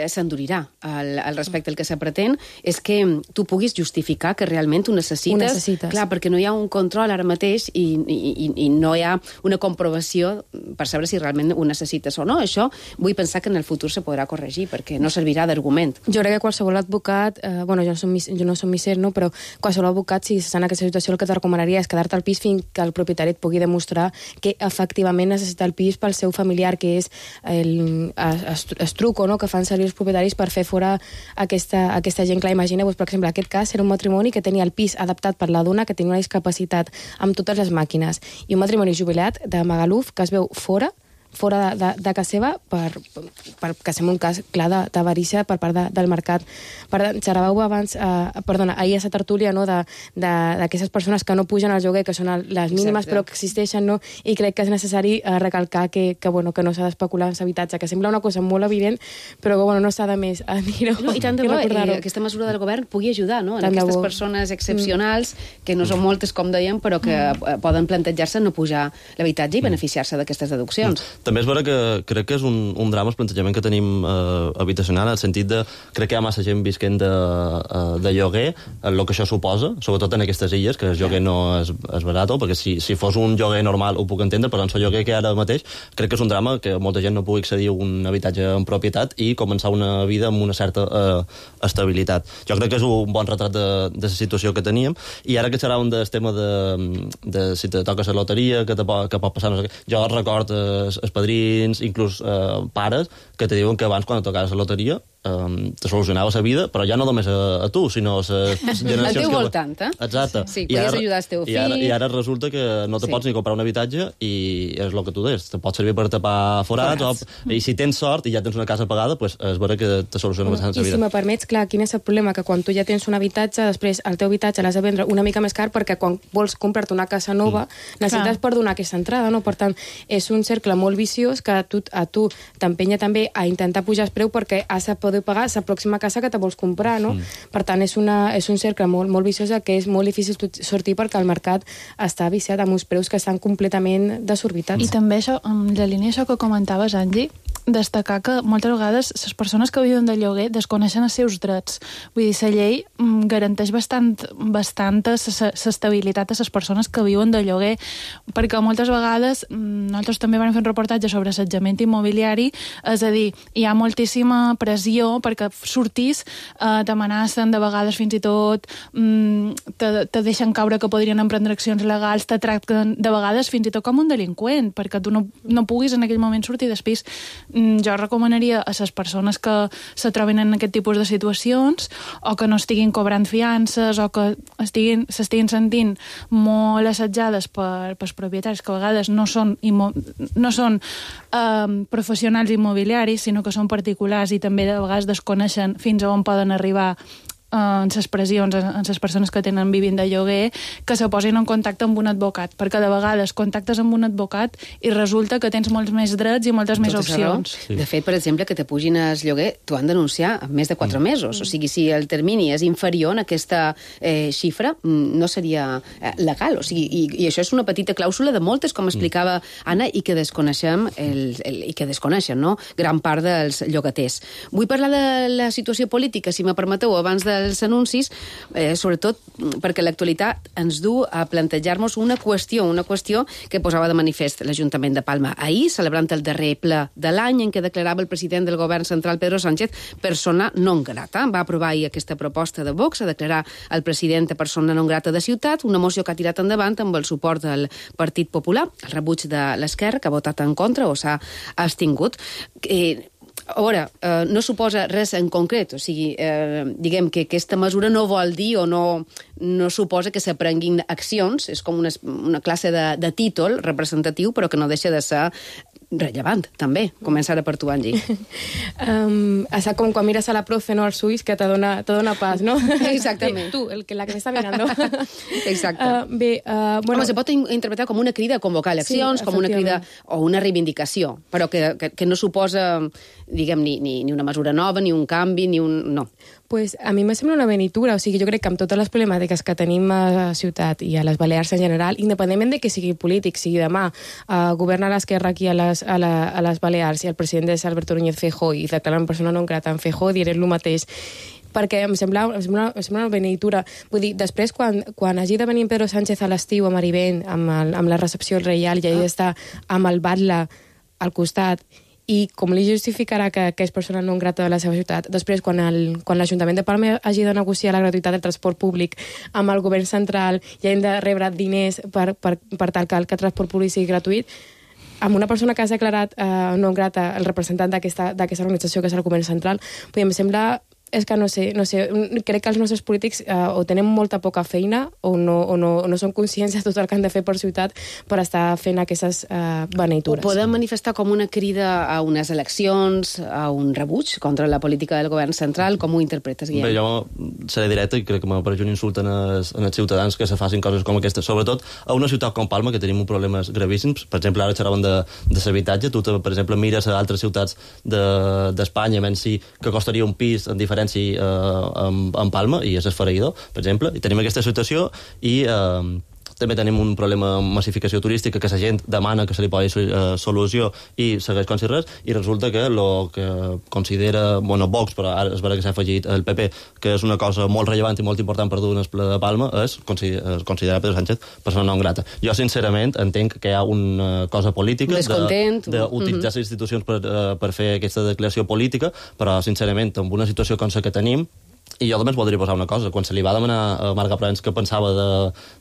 s'endurirà al respecte. El que se pretén és que tu puguis justificar que realment ho necessites. Clar, perquè no hi ha un control ara mateix i no hi ha una comprovació per saber si realment ho necessites o no. Això vull pensar que en el futur se podrà corregir perquè no servirà d'argument. Jo crec que qualsevol advocat, jo no som misser, no? Però qualsevol advocat, si està en aquesta situació, el que te recomanaria és quedar-te al pis fins que el propietari et pugui demostrar que efectivament necessita el pis pel seu familiar, que és el truco, no?, que fan servir els propietaris per fer fora aquesta gent. Clar, imagineu-vos, per exemple, aquest cas era un matrimoni que tenia el pis adaptat per la dona que tenia una discapacitat amb totes les màquines i un matrimoni jubilat de Magaluf que es veu fora de casa seva perquè sembla un cas clar d'avarícia per part del mercat. Xerràveu abans, ahir a la tertúlia, no?, d'aquestes persones que no pugen al lloguer, que són les mínimes però que existeixen, no?, i crec que és necessari recalcar que no s'ha d'especular en l'habitatge, que sembla una cosa molt evident, però que no s'ha de més a dir-ho. I tant de bo aquesta mesura del govern pugui ajudar, no?, en aquestes persones excepcionals, que no són moltes, com dèiem, però que poden plantejar-se no pujar l'habitatge i beneficiar-se d'aquestes deduccions. També és vera que crec que és un drama el plantejament que tenim habitacional, en el sentit de crec que hi ha massa gent visquent de lloguer, el que això suposa, sobretot en aquestes illes, que el lloguer no és barat, perquè si fos un lloguer normal ho puc entendre, però en el lloguer que hi ha ara mateix crec que és un drama que molta gent no pugui accedir a un habitatge en propietat i començar una vida amb una certa estabilitat. Jo crec que és un bon retrat de la situació que teníem, i ara que serà un del tema de si te toques la loteria, que pot passar, no sé què. Jo record padrins, inclús pares, que te diuen que abans, quan tocaves la loteria, te solucionava la vida, però ja no només a tu, sinó a les generacions... Al teu voltant, eh? Exacte. Sí, podies ajudar el teu fill... I ara resulta que no te pots ni comprar un habitatge i és el que tu deies, te pot servir per tapar forats, i si tens sort i ja tens una casa pagada, pues és vera que te soluciona bastant la vida. I si me permets, clar, quin és el problema? Que quan tu ja tens un habitatge, després el teu habitatge l'has de vendre una mica més car perquè quan vols comprar-te una casa nova necessites per donar aquesta entrada, no? Per tant, és un cercle molt viciós que a tu t'empenya també a intentar pujar el preu perquè has de poder pagar la pròxima casa que te vols comprar, no? Per tant, és un cercle molt viciós que és molt difícil sortir perquè el mercat està viciat amb uns preus que estan completament desorbitats. I també això, en la línia això que comentaves, Angie, destacar que moltes vegades les persones que viuen de lloguer desconeixen els seus drets. Vull dir, la llei garanteix bastanta l'estabilitat a les persones que viuen de lloguer, perquè moltes vegades nosaltres també vam fer un reportatge sobre assetjament immobiliari, és a dir, hi ha moltíssima pressió perquè sortís, t'amenacen de vegades fins i tot, te deixen caure que podrien emprendre accions legals, te tracten de vegades fins i tot com un delinqüent, perquè tu no puguis en aquell moment sortir del pis. Jo recomanaria a les persones que se troben en aquest tipus de situacions o que no estiguin cobrant fiances o que s'estiguin sentint molt assetjades pels propietaris que a vegades no són professionals immobiliaris, sinó que són particulars i també de vegades desconeixen fins a on poden arribar en les pressions, en les persones que tenen vivint de lloguer, que se posin en contacte amb un advocat, perquè de vegades contactes amb un advocat i resulta que tens molts més drets i moltes més opcions. Sí. De fet, per exemple, que te pugin el lloguer, t'ho han denunciat en més de 4 mesos. O sigui, si el termini és inferior a aquesta xifra, no seria legal. O sigui, i això és una petita clàusula de moltes, com explicava Anna, i que desconeixen, no? Gran part dels llogaters. Vull parlar de la situació política, si me permeteu, abans dels anuncis, sobretot perquè l'actualitat ens du a plantejar-nos una qüestió que posava de manifest l'Ajuntament de Palma ahir, celebrant el darrer ple de l'any en què declarava el president del govern central, Pedro Sánchez, persona non grata. Va aprovar ahir aquesta proposta de Vox a declarar el president persona non grata de Ciutat, una moció que ha tirat endavant amb el suport del Partit Popular, el rebuig de l'Esquerra, que ha votat en contra o s'ha abstingut. A veure, no suposa res en concret, o sigui, diguem que aquesta mesura no vol dir o no suposa que s'aprenguin accions, és com una classe de títol representatiu, però que no deixa de ser rellevant, també. Començar per tu, Angie. Està com quan mires a la profe, no, als ulls, que te dona paz, no? Exactament. Tu, la que m'està mirando. Exacte. Bueno, home, se pot interpretar com una crida a convocar eleccions, com una crida o una reivindicació, però que no suposa, diguem, ni una mesura nova, ni un canvi, ni un... No. Pues a mi me sembla una benitura, o sigui, jo crec que amb totes les problemàtiques que tenim a la ciutat i a les Balears en general, independentment de que sigui polític, sigui demà, governa l'esquerra aquí a les Balears i el president és Alberto Núñez Feijóo i declaren persona non grata en Feijóo, diré el mateix, perquè em sembla una benitura. Vull dir, després, quan hagi de venir Pedro Sánchez a l'estiu a Marivent, amb la recepció reial, i ell està amb el batlle al costat, i com li justificarà que és persona non grata de la seva ciutat. Després, quan l'Ajuntament de Palma hagi de negociar la gratuïtat del transport públic amb el govern central i hagin de rebre diners per tal que el transport públic sigui gratuït, amb una persona que has declarat non grata, el representant d'aquesta organització que és el govern central, em sembla... És que no sé, crec que els nostres polítics o tenen molta poca feina o no són conscients de tot el que han de fer per ciutat per estar fent aquestes beneitures. Ho poden manifestar com una crida a unes eleccions, a un rebuig contra la política del govern central? Com ho interpretes, Guillem? Bé, jo seré directe i crec que me pareix un insult en els ciutadans que se facin coses com aquestes. Sobretot a una ciutat com Palma, que tenim problemes gravíssims. Per exemple, ara xerraven de l'habitatge. Tu, per exemple, mires a altres ciutats d'Espanya, menys si que costaria un pis en diferència en Palma, i és esfereïdor, per exemple, i tenim aquesta situació i també tenim un problema de massificació turística que la gent demana que se li posi solució i segueix com si res, i resulta que el que considera, Vox, però ara és vera que s'ha afegit el PP, que és una cosa molt rellevant i molt important per dur en el ple de Palma, és considerar Pedro Sánchez persona non grata. Jo, sincerament, entenc que hi ha una cosa política d'utilitzar les institucions per fer aquesta declaració política, però, sincerament, amb una situació com la que tenim, i jo també voldria posar una cosa. Quan se li va demanar a Marga Provence què pensava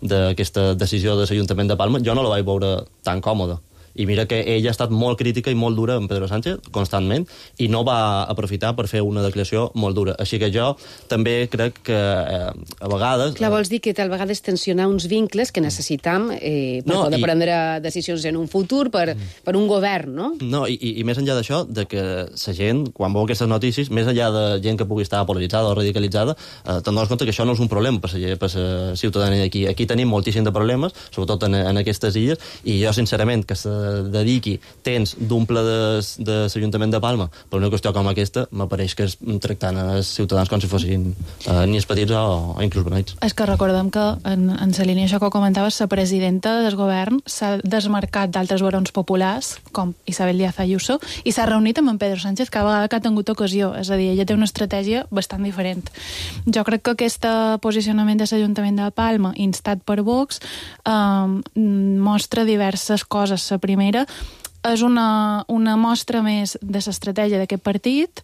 d'aquesta decisió de l'Ajuntament de Palma, jo no la vaig veure tan còmoda. I mira que ella ha estat molt crítica i molt dura amb Pedro Sánchez, constantment, i no va aprofitar per fer una declaració molt dura. Així que jo també crec que a vegades... Clar, vols dir que tal vegada és tensionar uns vincles que necessitem per poder prendre decisions en un futur per un govern, no? No, i més enllà d'això, de que la gent, quan veu aquestes notícies, més enllà de gent que pugui estar polaritzada o radicalitzada, te'n dones compte que això no és un problema per la ciutadania d'aquí. Aquí tenim moltíssim de problemes, sobretot en aquestes illes, i jo, sincerament, que dediqui temps d'un ple de l'Ajuntament de Palma per una qüestió com aquesta, m'apareix que és tractant els ciutadans com si fossin niños petits o inclús beneits. És que recordem que en la línia això que comentaves, la presidenta del govern s'ha desmarcat d'altres barons populars, com Isabel Díaz Ayuso, i s'ha reunit amb en Pedro Sánchez cada vegada que ha tingut ocasió. És a dir, ella té una estratègia bastant diferent. Jo crec que aquest posicionament de l'Ajuntament de Palma, instat per Vox, mostra diverses coses. La primera és una mostra més de l'estratègia d'aquest partit,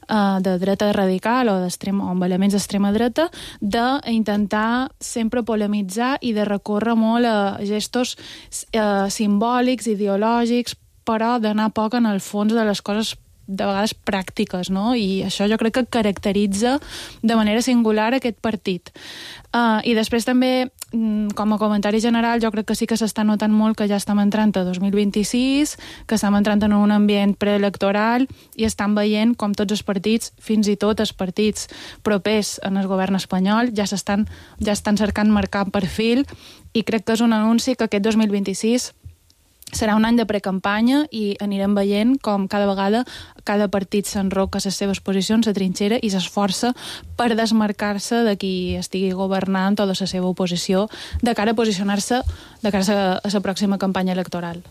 de dreta radical o amb elements d'extrema dreta, d'intentar sempre polemitzar i de recórrer molt a gestos simbòlics, ideològics, però d'anar poc en el fons de les coses de vegades pràctiques, no? I això jo crec que caracteritza de manera singular aquest partit. I després també, com a comentari general, jo crec que sí que s'està notant molt que ja estem entrant a 2026, que estem entrant en un ambient preelectoral i estan veient com tots els partits, fins i tot els partits propers en el govern espanyol, ja estan cercant marcar perfil, i crec que és un anunci que aquest 2026 serà un any de precampanya i anirem veient com cada vegada cada partit s'enroca a les seves posicions, a trinxera, i s'esforça per desmarcar-se de qui estigui governant o de la seva oposició de cara a posicionar-se de cara a la pròxima campanya electoral.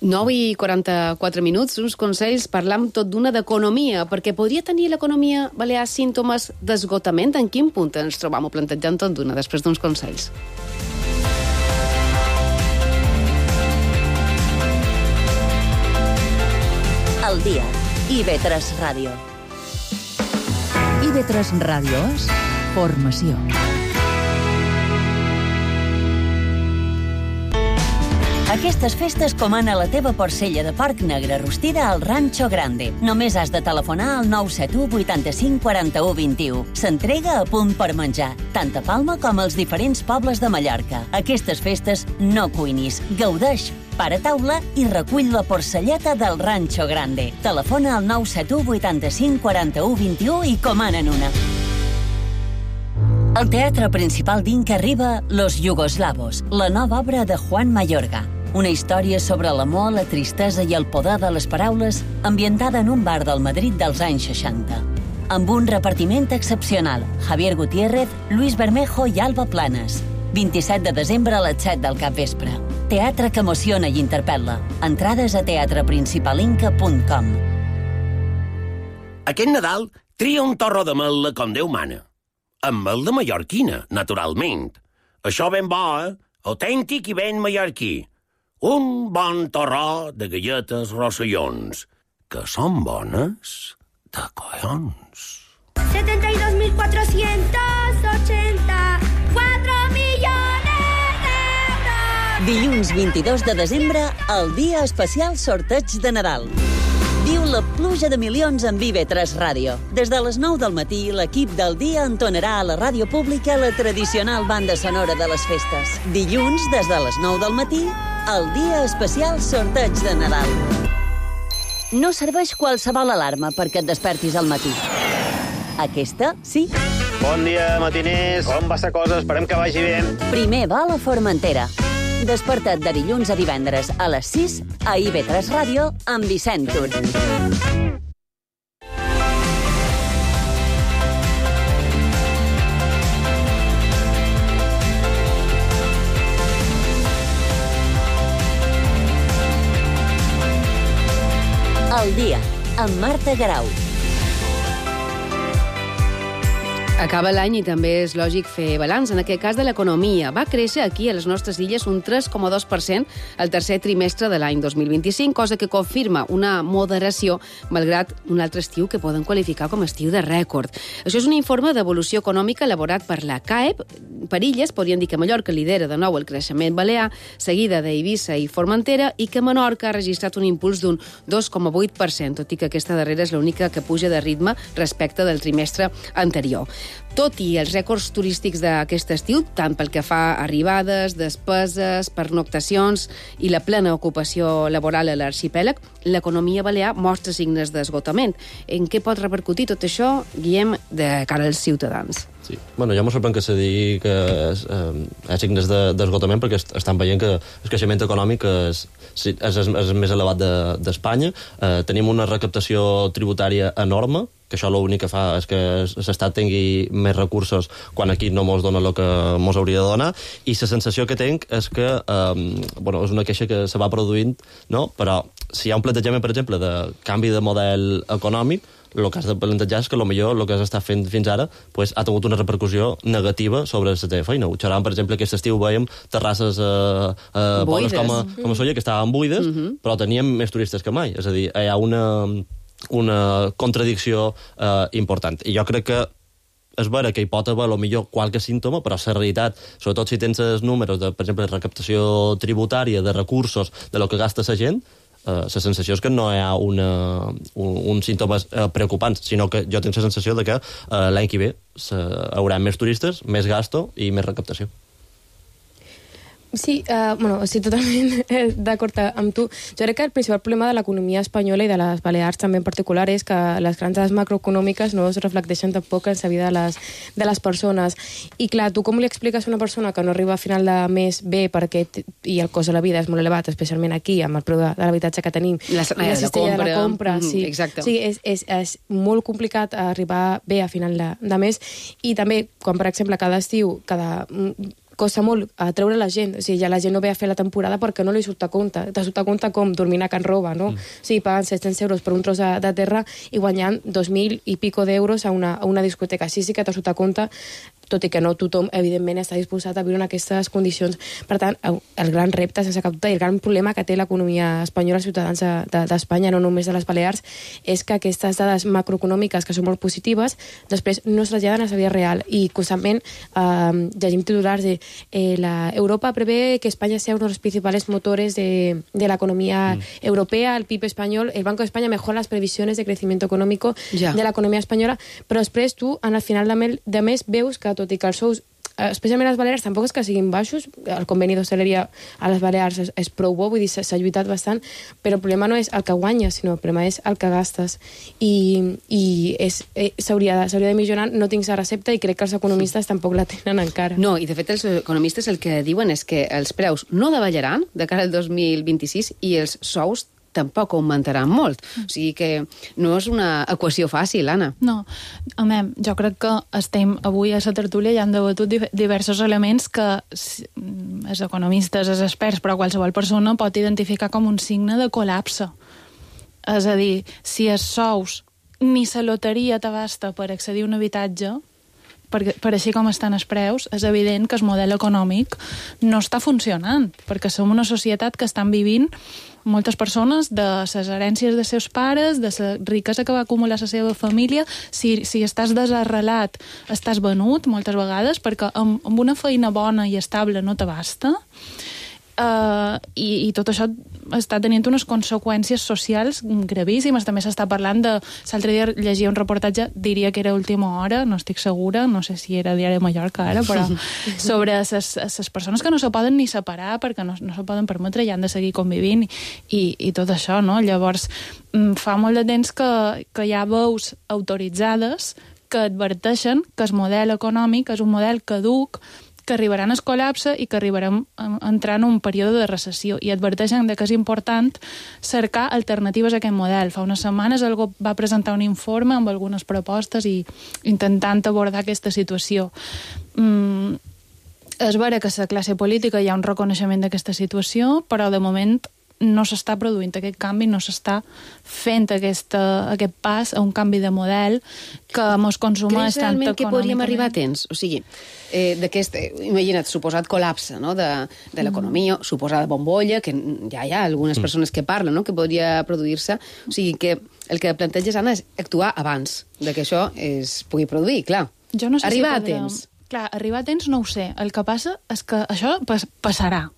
9:44 minuts, uns consells, parlam tot d'una d'economia, perquè podria tenir l'economia balear símptomes d'esgotament. En quin punt ens trobam plantejant tot d'una, després d'uns consells? El dia. IB3 Ràdio. IB3 Ràdio és formació. Aquestes festes comana la teva porcella de porc negre rostida al Rancho Grande. Només has de telefonar al 971 85 41 21. S'entrega a punt per menjar, tant a Palma com als diferents pobles de Mallorca. Aquestes festes no cuinis, gaudeix, para taula i recull la porcelleta del Rancho Grande. Telefona al 971 85 41 21 i comanen una. Al Teatre Principal d'Inca arriba Los Yugoslavos, la nova obra de Juan Mayorga. Una història sobre l'amor, la tristesa i el poder de les paraules, ambientada en un bar del Madrid dels anys 60. Amb un repartiment excepcional: Javier Gutiérrez, Luis Bermejo i Alba Planes. 27 de desembre a les 7 del capvespre. Teatre que emociona i interpel·la. Entrades a teatreprincipalinca.com. Aquest Nadal tria un torró de mel com Déu mana. Amb mel de mallorquina, naturalment. Això ben bo, autèntic i ben mallorquí. Un bon torró de galletes Rossellons, que són bones de collons. 72.484 milions d'euros! Dilluns 22 de desembre, el dia especial sorteig de Nadal. Viu la pluja de milions en IB3 Ràdio. Des de les 9 del matí, l'equip del dia entonarà a la ràdio pública la tradicional banda sonora de les festes. Dilluns, des de les 9 del matí, el dia especial sorteig de Nadal. No serveix qualsevol alarma perquè et despertis al matí. Aquesta, sí. Bon dia, matiners. Com va la cosa? Esperem que vagi bé. Primer vol a Formentera. Desperta't de dilluns a divendres a les 6 a IB3 Ràdio amb Vicent Tur. El dia, amb Marta Garau. Acaba l'any i també és lògic fer balanç, en aquest cas de l'economia. Va créixer aquí, a les nostres illes, un 3,2% el tercer trimestre de l'any 2025, cosa que confirma una moderació, malgrat un altre estiu que poden qualificar com a estiu de rècord. Això és un informe d'evolució econòmica elaborat per la CAEP. Per illes, podríem dir que Mallorca lidera de nou el creixement balear, seguida d'Eivissa i Formentera, i que Menorca ha registrat un impuls d'un 2,8%, tot i que aquesta darrera és l'única que puja de ritme respecte del trimestre anterior. Tot i els rècords turístics d'aquest estiu, tant pel que fa a arribades, despeses, pernoctacions i la plena ocupació laboral a l'arxipèlag, l'economia balear mostra signes d'esgotament. En què pot repercutir tot això, Guillem, de cara als ciutadans? Sí. Bueno, ja m'ho sorprèn que se digui que hi ha signes d'esgotament perquè estan veient que el creixement econòmic és més elevat d'Espanya. Tenim una recaptació tributària enorme, que això l'únic que fa és que l'Estat tingui més recursos quan aquí no mos dona el que mos hauria de donar, i la sensació que tinc és que és una queixa que se va produint, no? Però si hi ha un plantejament, per exemple, de canvi de model econòmic, el que has de plantejar és que potser el que has estat fent fins ara ha tingut una repercussió negativa sobre la teva feina. Ho xerràvem, per exemple, aquest estiu veiem terrasses bones com a Solla, que estaven buides, però teníem més turistes que mai. És a dir, hi ha una contradicció important. I jo crec que és vera que hi pot haver millor qualque símptoma, però la realitat, sobretot si tens els números de, per exemple, recaptació tributària, de recursos, de lo que gasta la gent, la sensació és que no hi ha uns símptomes preocupants, sinó que jo tinc la sensació de que l'any que ve haurà més turistes, més gasto i més recaptació. Sí, estic totalment d'acord amb tu. Jo crec que el principal problema de l'economia espanyola i de les Balears també en particular és que les grans dades macroeconòmiques no es reflecteixen tampoc en la vida de les persones. I clar, tu com li expliques a una persona que no arriba a final de mes bé i el cost de la vida és molt elevat, especialment aquí, amb el preu de l'habitatge que tenim, la cistella de la compra, sí. Exacte. Sí, és molt complicat arribar bé a final de mes, i també, quan per exemple cada estiu, costa molt treure la gent. O sigui, ja la gent no ve a fer la temporada perquè no li surt a compte. Te surt a compte com dormint a Can Roba, no? O sigui, pagant 700 euros per un tros de terra i guanyant 2.000 i pico d'euros a una discoteca. Així sí que te surt a compte, tot i que no tothom, evidentment, està disposat a viure en aquestes condicions. Per tant, el gran repte, sense cap dubte, i el gran problema que té l'economia espanyola, els ciutadans d'Espanya, no només de les Balears, és que aquestes dades macroeconòmiques, que són molt positives, després no es traslladen a la vida real. I constantment llegim titulars de Europa prevé que España sea uno de los principales motores de la economía europea, el PIB español, el Banco de España mejora las previsiones de crecimiento económico de l'economia espanyola, però després tu, al final de mes, veus que tot i que els sous, especialment a les Balears, tampoc és que siguin baixos, el conveni d'hostaleria a les Balears és prou bo, vull dir, s'ha lluitat bastant, però el problema no és el que guanyes, sinó el problema és el que gastes, i s'hauria de millorar. No tinc la recepta i crec que els economistes tampoc la tenen encara. No, i de fet els economistes el que diuen és que els preus no davallarán de cara al 2026 i els sous tampoc augmentaran molt. O sigui que no és una equació fàcil, Anna. No, jo crec que estem avui a la tertúlia i han debatut diversos elements que els economistes, els experts, però qualsevol persona pot identificar com un signe de col·lapse. És a dir, si els sous ni la loteria t'abasta per accedir a un habitatge, per així com estan els preus, és evident que el model econòmic no està funcionant, perquè som una societat que estan vivint moltes persones de les herències de seus pares, de la riquesa que va acumular la seva família. Si estàs desarrelat, estàs venut moltes vegades, perquè amb una feina bona i estable no t'abasta. I tot això està tenint unes conseqüències socials gravíssimes. També s'està parlant de... L'altre dia llegia un reportatge, diria que era Última Hora, no estic segura, no sé si era Diari de Mallorca ara, però sobre les persones que no se poden ni separar perquè no se poden permetre i han de seguir convivint i tot això, no? Llavors, fa molt de temps que hi ha veus autoritzades que adverteixen que el model econòmic és un model caduc, que arribaran al col·lapse i que arribarem a entrar en un període de recessió, i adverteixen que és important cercar alternatives a aquest model. Fa unes setmanes algú va presentar un informe amb algunes propostes i intentant abordar aquesta situació. És vera que a la classe política hi ha un reconeixement d'aquesta situació, però de moment no s'està produint aquest canvi, no s'està fent aquest pas a un canvi de model que mos consumeix tant econòmicament. Creus realment que podríem arribar a temps? O sigui, d'aquest, imagina't, suposat col·lapse, no?, de l'economia, suposada bombolla, que ja hi ha algunes persones que parlen, no?, que podria produir-se. O sigui, que el que planteges, Anna, és actuar abans de que això es pugui produir, clar. Jo no sé arribar si podrem... a temps. Clar, arribar a temps no ho sé. El que passa és que això passarà.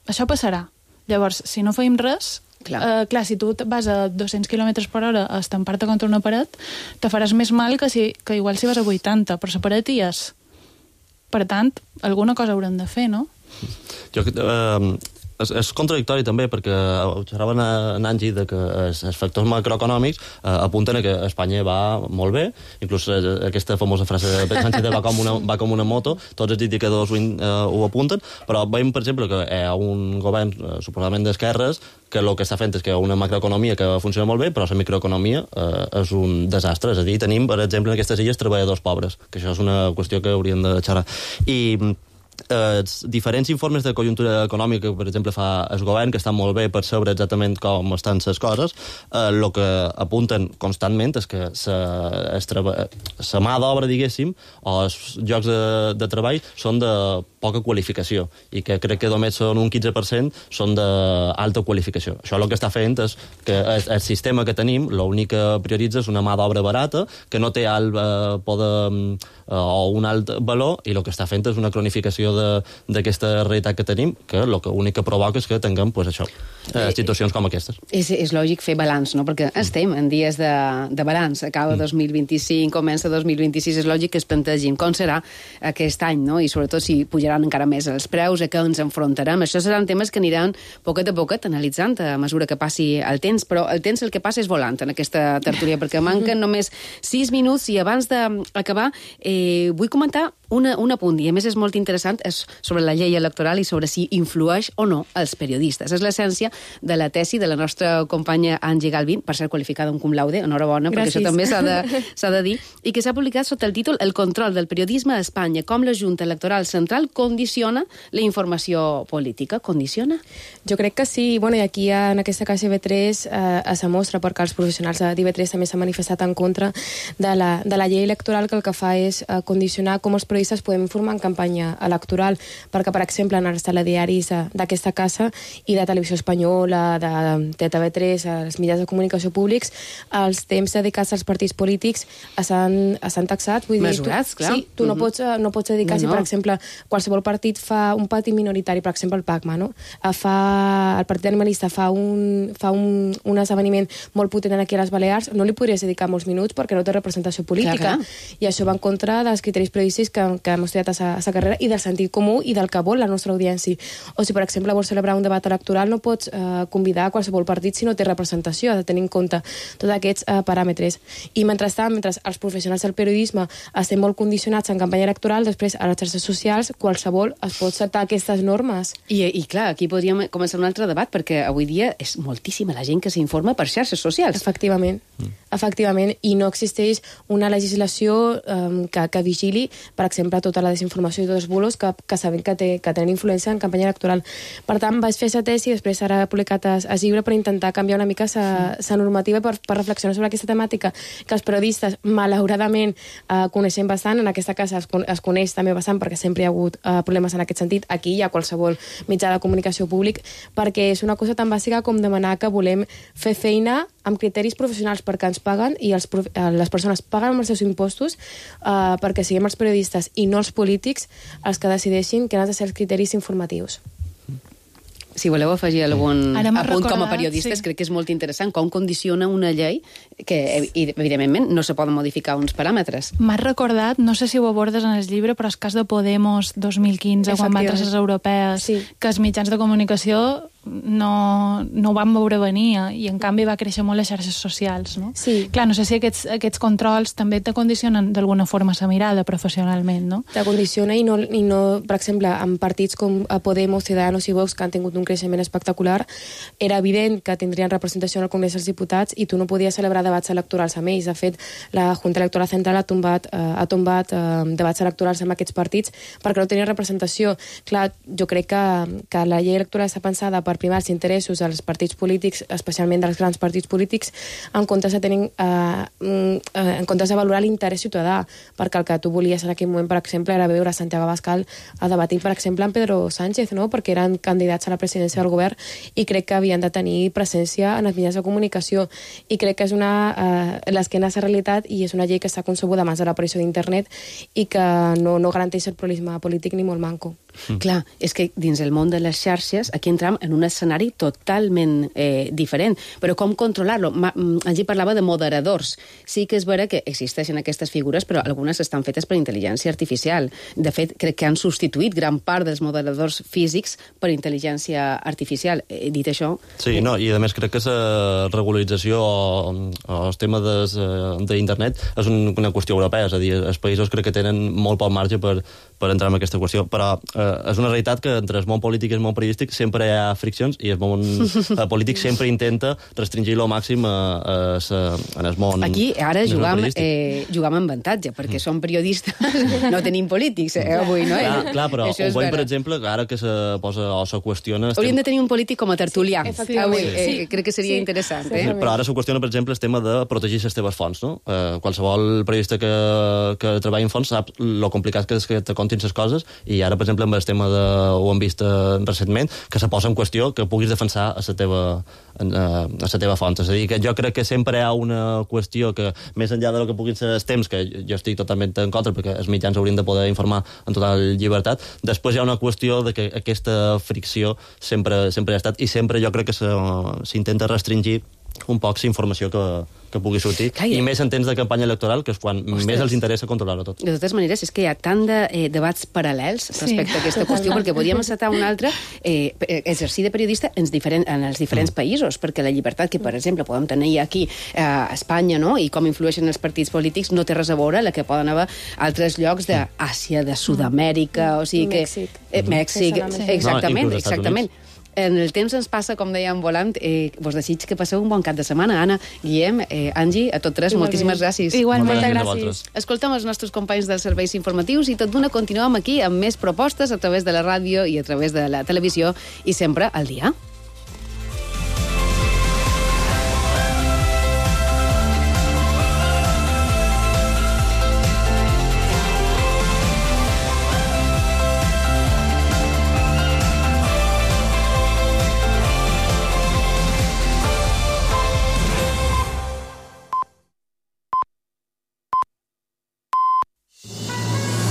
Això passarà. Llavors, si no feim res, Clar, si tu vas a 200 km per hora a estampar-te contra una paret, te faràs més mal que igual si vas a 80, però la paret hi és. Per tant, alguna cosa haurem de fer, no? És contradictori també, perquè observaven en Angie que els factors macroeconòmics apunten a que Espanya va molt bé, inclús aquesta famosa frase de Sánchez va com una moto, tots els indicadors ho apunten, però veiem, per exemple, que hi ha un govern suposadament d'esquerres que el que està fent és que hi ha una macroeconomia que funciona molt bé, però la microeconomia és un desastre. És a dir, tenim, per exemple, en aquestes illes treballadors pobres, que això és una qüestió que hauríem de xerrar. I diferents informes de conjuntura econòmica que, per exemple, fa el govern, que estan molt bé per saber exactament com estan les coses, el que apunten constantment és que la mà d'obra, diguéssim, o els llocs de treball són de poca qualificació, i que crec que només són un 15% són d'alta qualificació. Això el que està fent és que el sistema que tenim, l'únic que prioritza és una mà d'obra barata, que no té alt poder o un alt valor, i el que està fent és una cronificació d'aquesta realitat que tenim, que l'únic que provoca és que tinguem situacions com aquestes. És lògic fer balanç, no? Perquè estem en dies de balanç. Acaba 2025, comença 2026, és lògic que es plantegin com serà aquest any, no? I sobretot si pujaran encara més els preus, a què ens enfrontarem. Això seran temes que aniran poquet a poquet analitzant a mesura que passi el temps, però el temps el que passa és volant en aquesta tertúlia, perquè manquen només 6 minuts i abans d'acabar vull comentar un apunt, i a més és molt interessant, és sobre la llei electoral i sobre si influeix o no els periodistes. És l'essència de la tesi de la nostra companya Angie Galvin, per ser qualificada un cum laude, enhorabona, perquè això també s'ha de dir, i que s'ha publicat sota el títol El control del periodisme a Espanya, com la Junta Electoral Central condiciona la informació política. Condiciona? Jo crec que sí. Bueno, i aquí en aquesta casa IB3 es demostra, perquè els professionals d'IB3 també s'han manifestat en contra de la llei electoral, que el que fa és condicionar com els periodistes podem informar en campanya electoral, perquè, per exemple, en els telediaris d'aquesta casa i de Televisió Espanyola, de TV3, els mitjans de comunicació públics, els temps dedicats als partits polítics s'han taxat. Vull dir, mesurats, clar. Sí, tu no pots dedicar, si, per exemple, qualsevol partit fa un partit minoritari, per exemple, el PACMA, no? El Partit Animalista fa un esdeveniment molt potent aquí a les Balears, no li podries dedicar molts minuts perquè no té representació política. Clar. I això va en contra dels criteris periodístics que hem estudiat a la carrera i del sentit comú i del que vol la nostra audiència. O si, per exemple, vols celebrar un debat electoral, no pots convidar qualsevol partit si no té representació, ha de tenir en compte tots aquests paràmetres. I mentrestant, mentre els professionals del periodisme estem molt condicionats en campanya electoral, després a les xarxes socials qualsevol es pot saltar aquestes normes. I clar, aquí podríem començar un altre debat, perquè avui dia és moltíssima la gent que s'informa per xarxes socials. Efectivament. Efectivament, i no existeix una legislació que vigili, per exemple, tota la desinformació i tots els bulos que sabem que tenen influència en campanya electoral. Per tant, vaig fer aquesta tesi i després ara he publicat el llibre per intentar canviar una mica la normativa per reflexionar sobre aquesta temàtica, que els periodistes, malauradament, coneixem bastant. En aquesta casa es coneix també bastant perquè sempre hi ha hagut problemes en aquest sentit. Aquí hi ha qualsevol mitjà de comunicació públic, perquè és una cosa tan bàsica com demanar que volem fer feina amb criteris professionals perquè ens paguen i les persones paguen amb els seus impostos perquè siguem els periodistes i no els polítics els que decideixin que han de ser els criteris informatius. Si voleu afegir algun apunt com a periodistes, crec que és molt interessant com condiciona una llei que, evidentment, no se poden modificar uns paràmetres. M'has recordat, no sé si ho abordes en el llibre, però el cas de Podemos 2015, quan van entrar les europees, que els mitjans de comunicació no ho van veure venir i en canvi va créixer molt les xarxes socials, no? Sí. Clar, no sé si aquests controls també te condicionen d'alguna forma la mirada professionalment, no? Te condiciona i no, per exemple, en partits com Podemos, Ciudadanos i Vox, que han tingut un creixement espectacular, era evident que tindrien representació en el Congrés dels Diputats i tu no podies celebrar debats electorals amb ells. De fet, la Junta Electoral Central ha tombat debats electorals amb aquests partits perquè no tenien representació. Clar, jo crec que la llei electoral està pensada per primar els interessos dels partits polítics, especialment dels grans partits polítics, en comptes de valorar l'interès ciutadà, perquè el que tu volies en aquell moment, per exemple, era veure Santiago Abascal a debatir, per exemple, amb Pedro Sánchez, no? Perquè eren candidats a la presidència del govern i crec que havien de tenir presència en els mitjans de comunicació, i crec que és l'esquena a la realitat i és una llei que està concebuda abans de l'aparició d'internet i que no garanteix el pluralisme polític ni molt manco. Clar, és que dins el món de les xarxes aquí entram en un escenari totalment diferent. Però com controlar-lo? Allí parlava de moderadors. Sí que és vera que existeixen aquestes figures, però algunes estan fetes per intel·ligència artificial. De fet, crec que han substituït gran part dels moderadors físics per intel·ligència artificial. Dit això... Sí, no, i a més crec que la regularització o el tema d'internet és una qüestió europea, és a dir, els països crec que tenen molt poc marge per entrar en aquesta qüestió, però és una realitat que entre el món polític i el món periodístic sempre hi ha friccions i el món polític sempre intenta restringir-lo al màxim en el món. Aquí ara jugam en avantatge, perquè som periodistes, no tenim polítics avui, no? Clar, però ho veiem, per exemple, que ara que se posa o se qüestiona... Hauríem de tenir un polític com a tertulià. Crec que seria interessant. Però ara se qüestiona, per exemple, el tema de protegir les teves fonts, no? Qualsevol periodista que treballa en fons sap lo complicat que és que te contin les coses, i ara, per exemple, amb el tema ho hem vist recentment, que se posa en qüestió que puguis defensar a la teva font. És a dir, que jo crec que sempre hi ha una qüestió que, més enllà del que puguin ser els temps, que jo estic totalment en contra, perquè els mitjans haurien de poder informar en total llibertat, després hi ha una qüestió de que aquesta fricció sempre ha estat, i sempre jo crec que s'intenta restringir un poc la informació que pugui sortir, i més en temps de campanya electoral, que és quan més els interessa controlar-ho tot. De totes maneres, és que hi ha tant de debats paral·lels respecte a aquesta qüestió, perquè podríem encetar un altre exercici de periodista en els diferents països, perquè la llibertat que, per exemple, podem tenir aquí a Espanya, no?, i com influeixen els partits polítics, no té res a veure la que poden haver altres llocs d'Àsia, de Sud-amèrica, o sigui que... Mèxic, exactament. En el temps ens passa, com dèiem, volant. Vos desig que passeu un bon cap de setmana. Anna, Guillem, Angie, a tots tres, moltíssimes gràcies. Igualment, gràcies. Escoltem els nostres companys dels serveis informatius i tot d'una continuem aquí amb més propostes a través de la ràdio i a través de la televisió, i sempre al dia.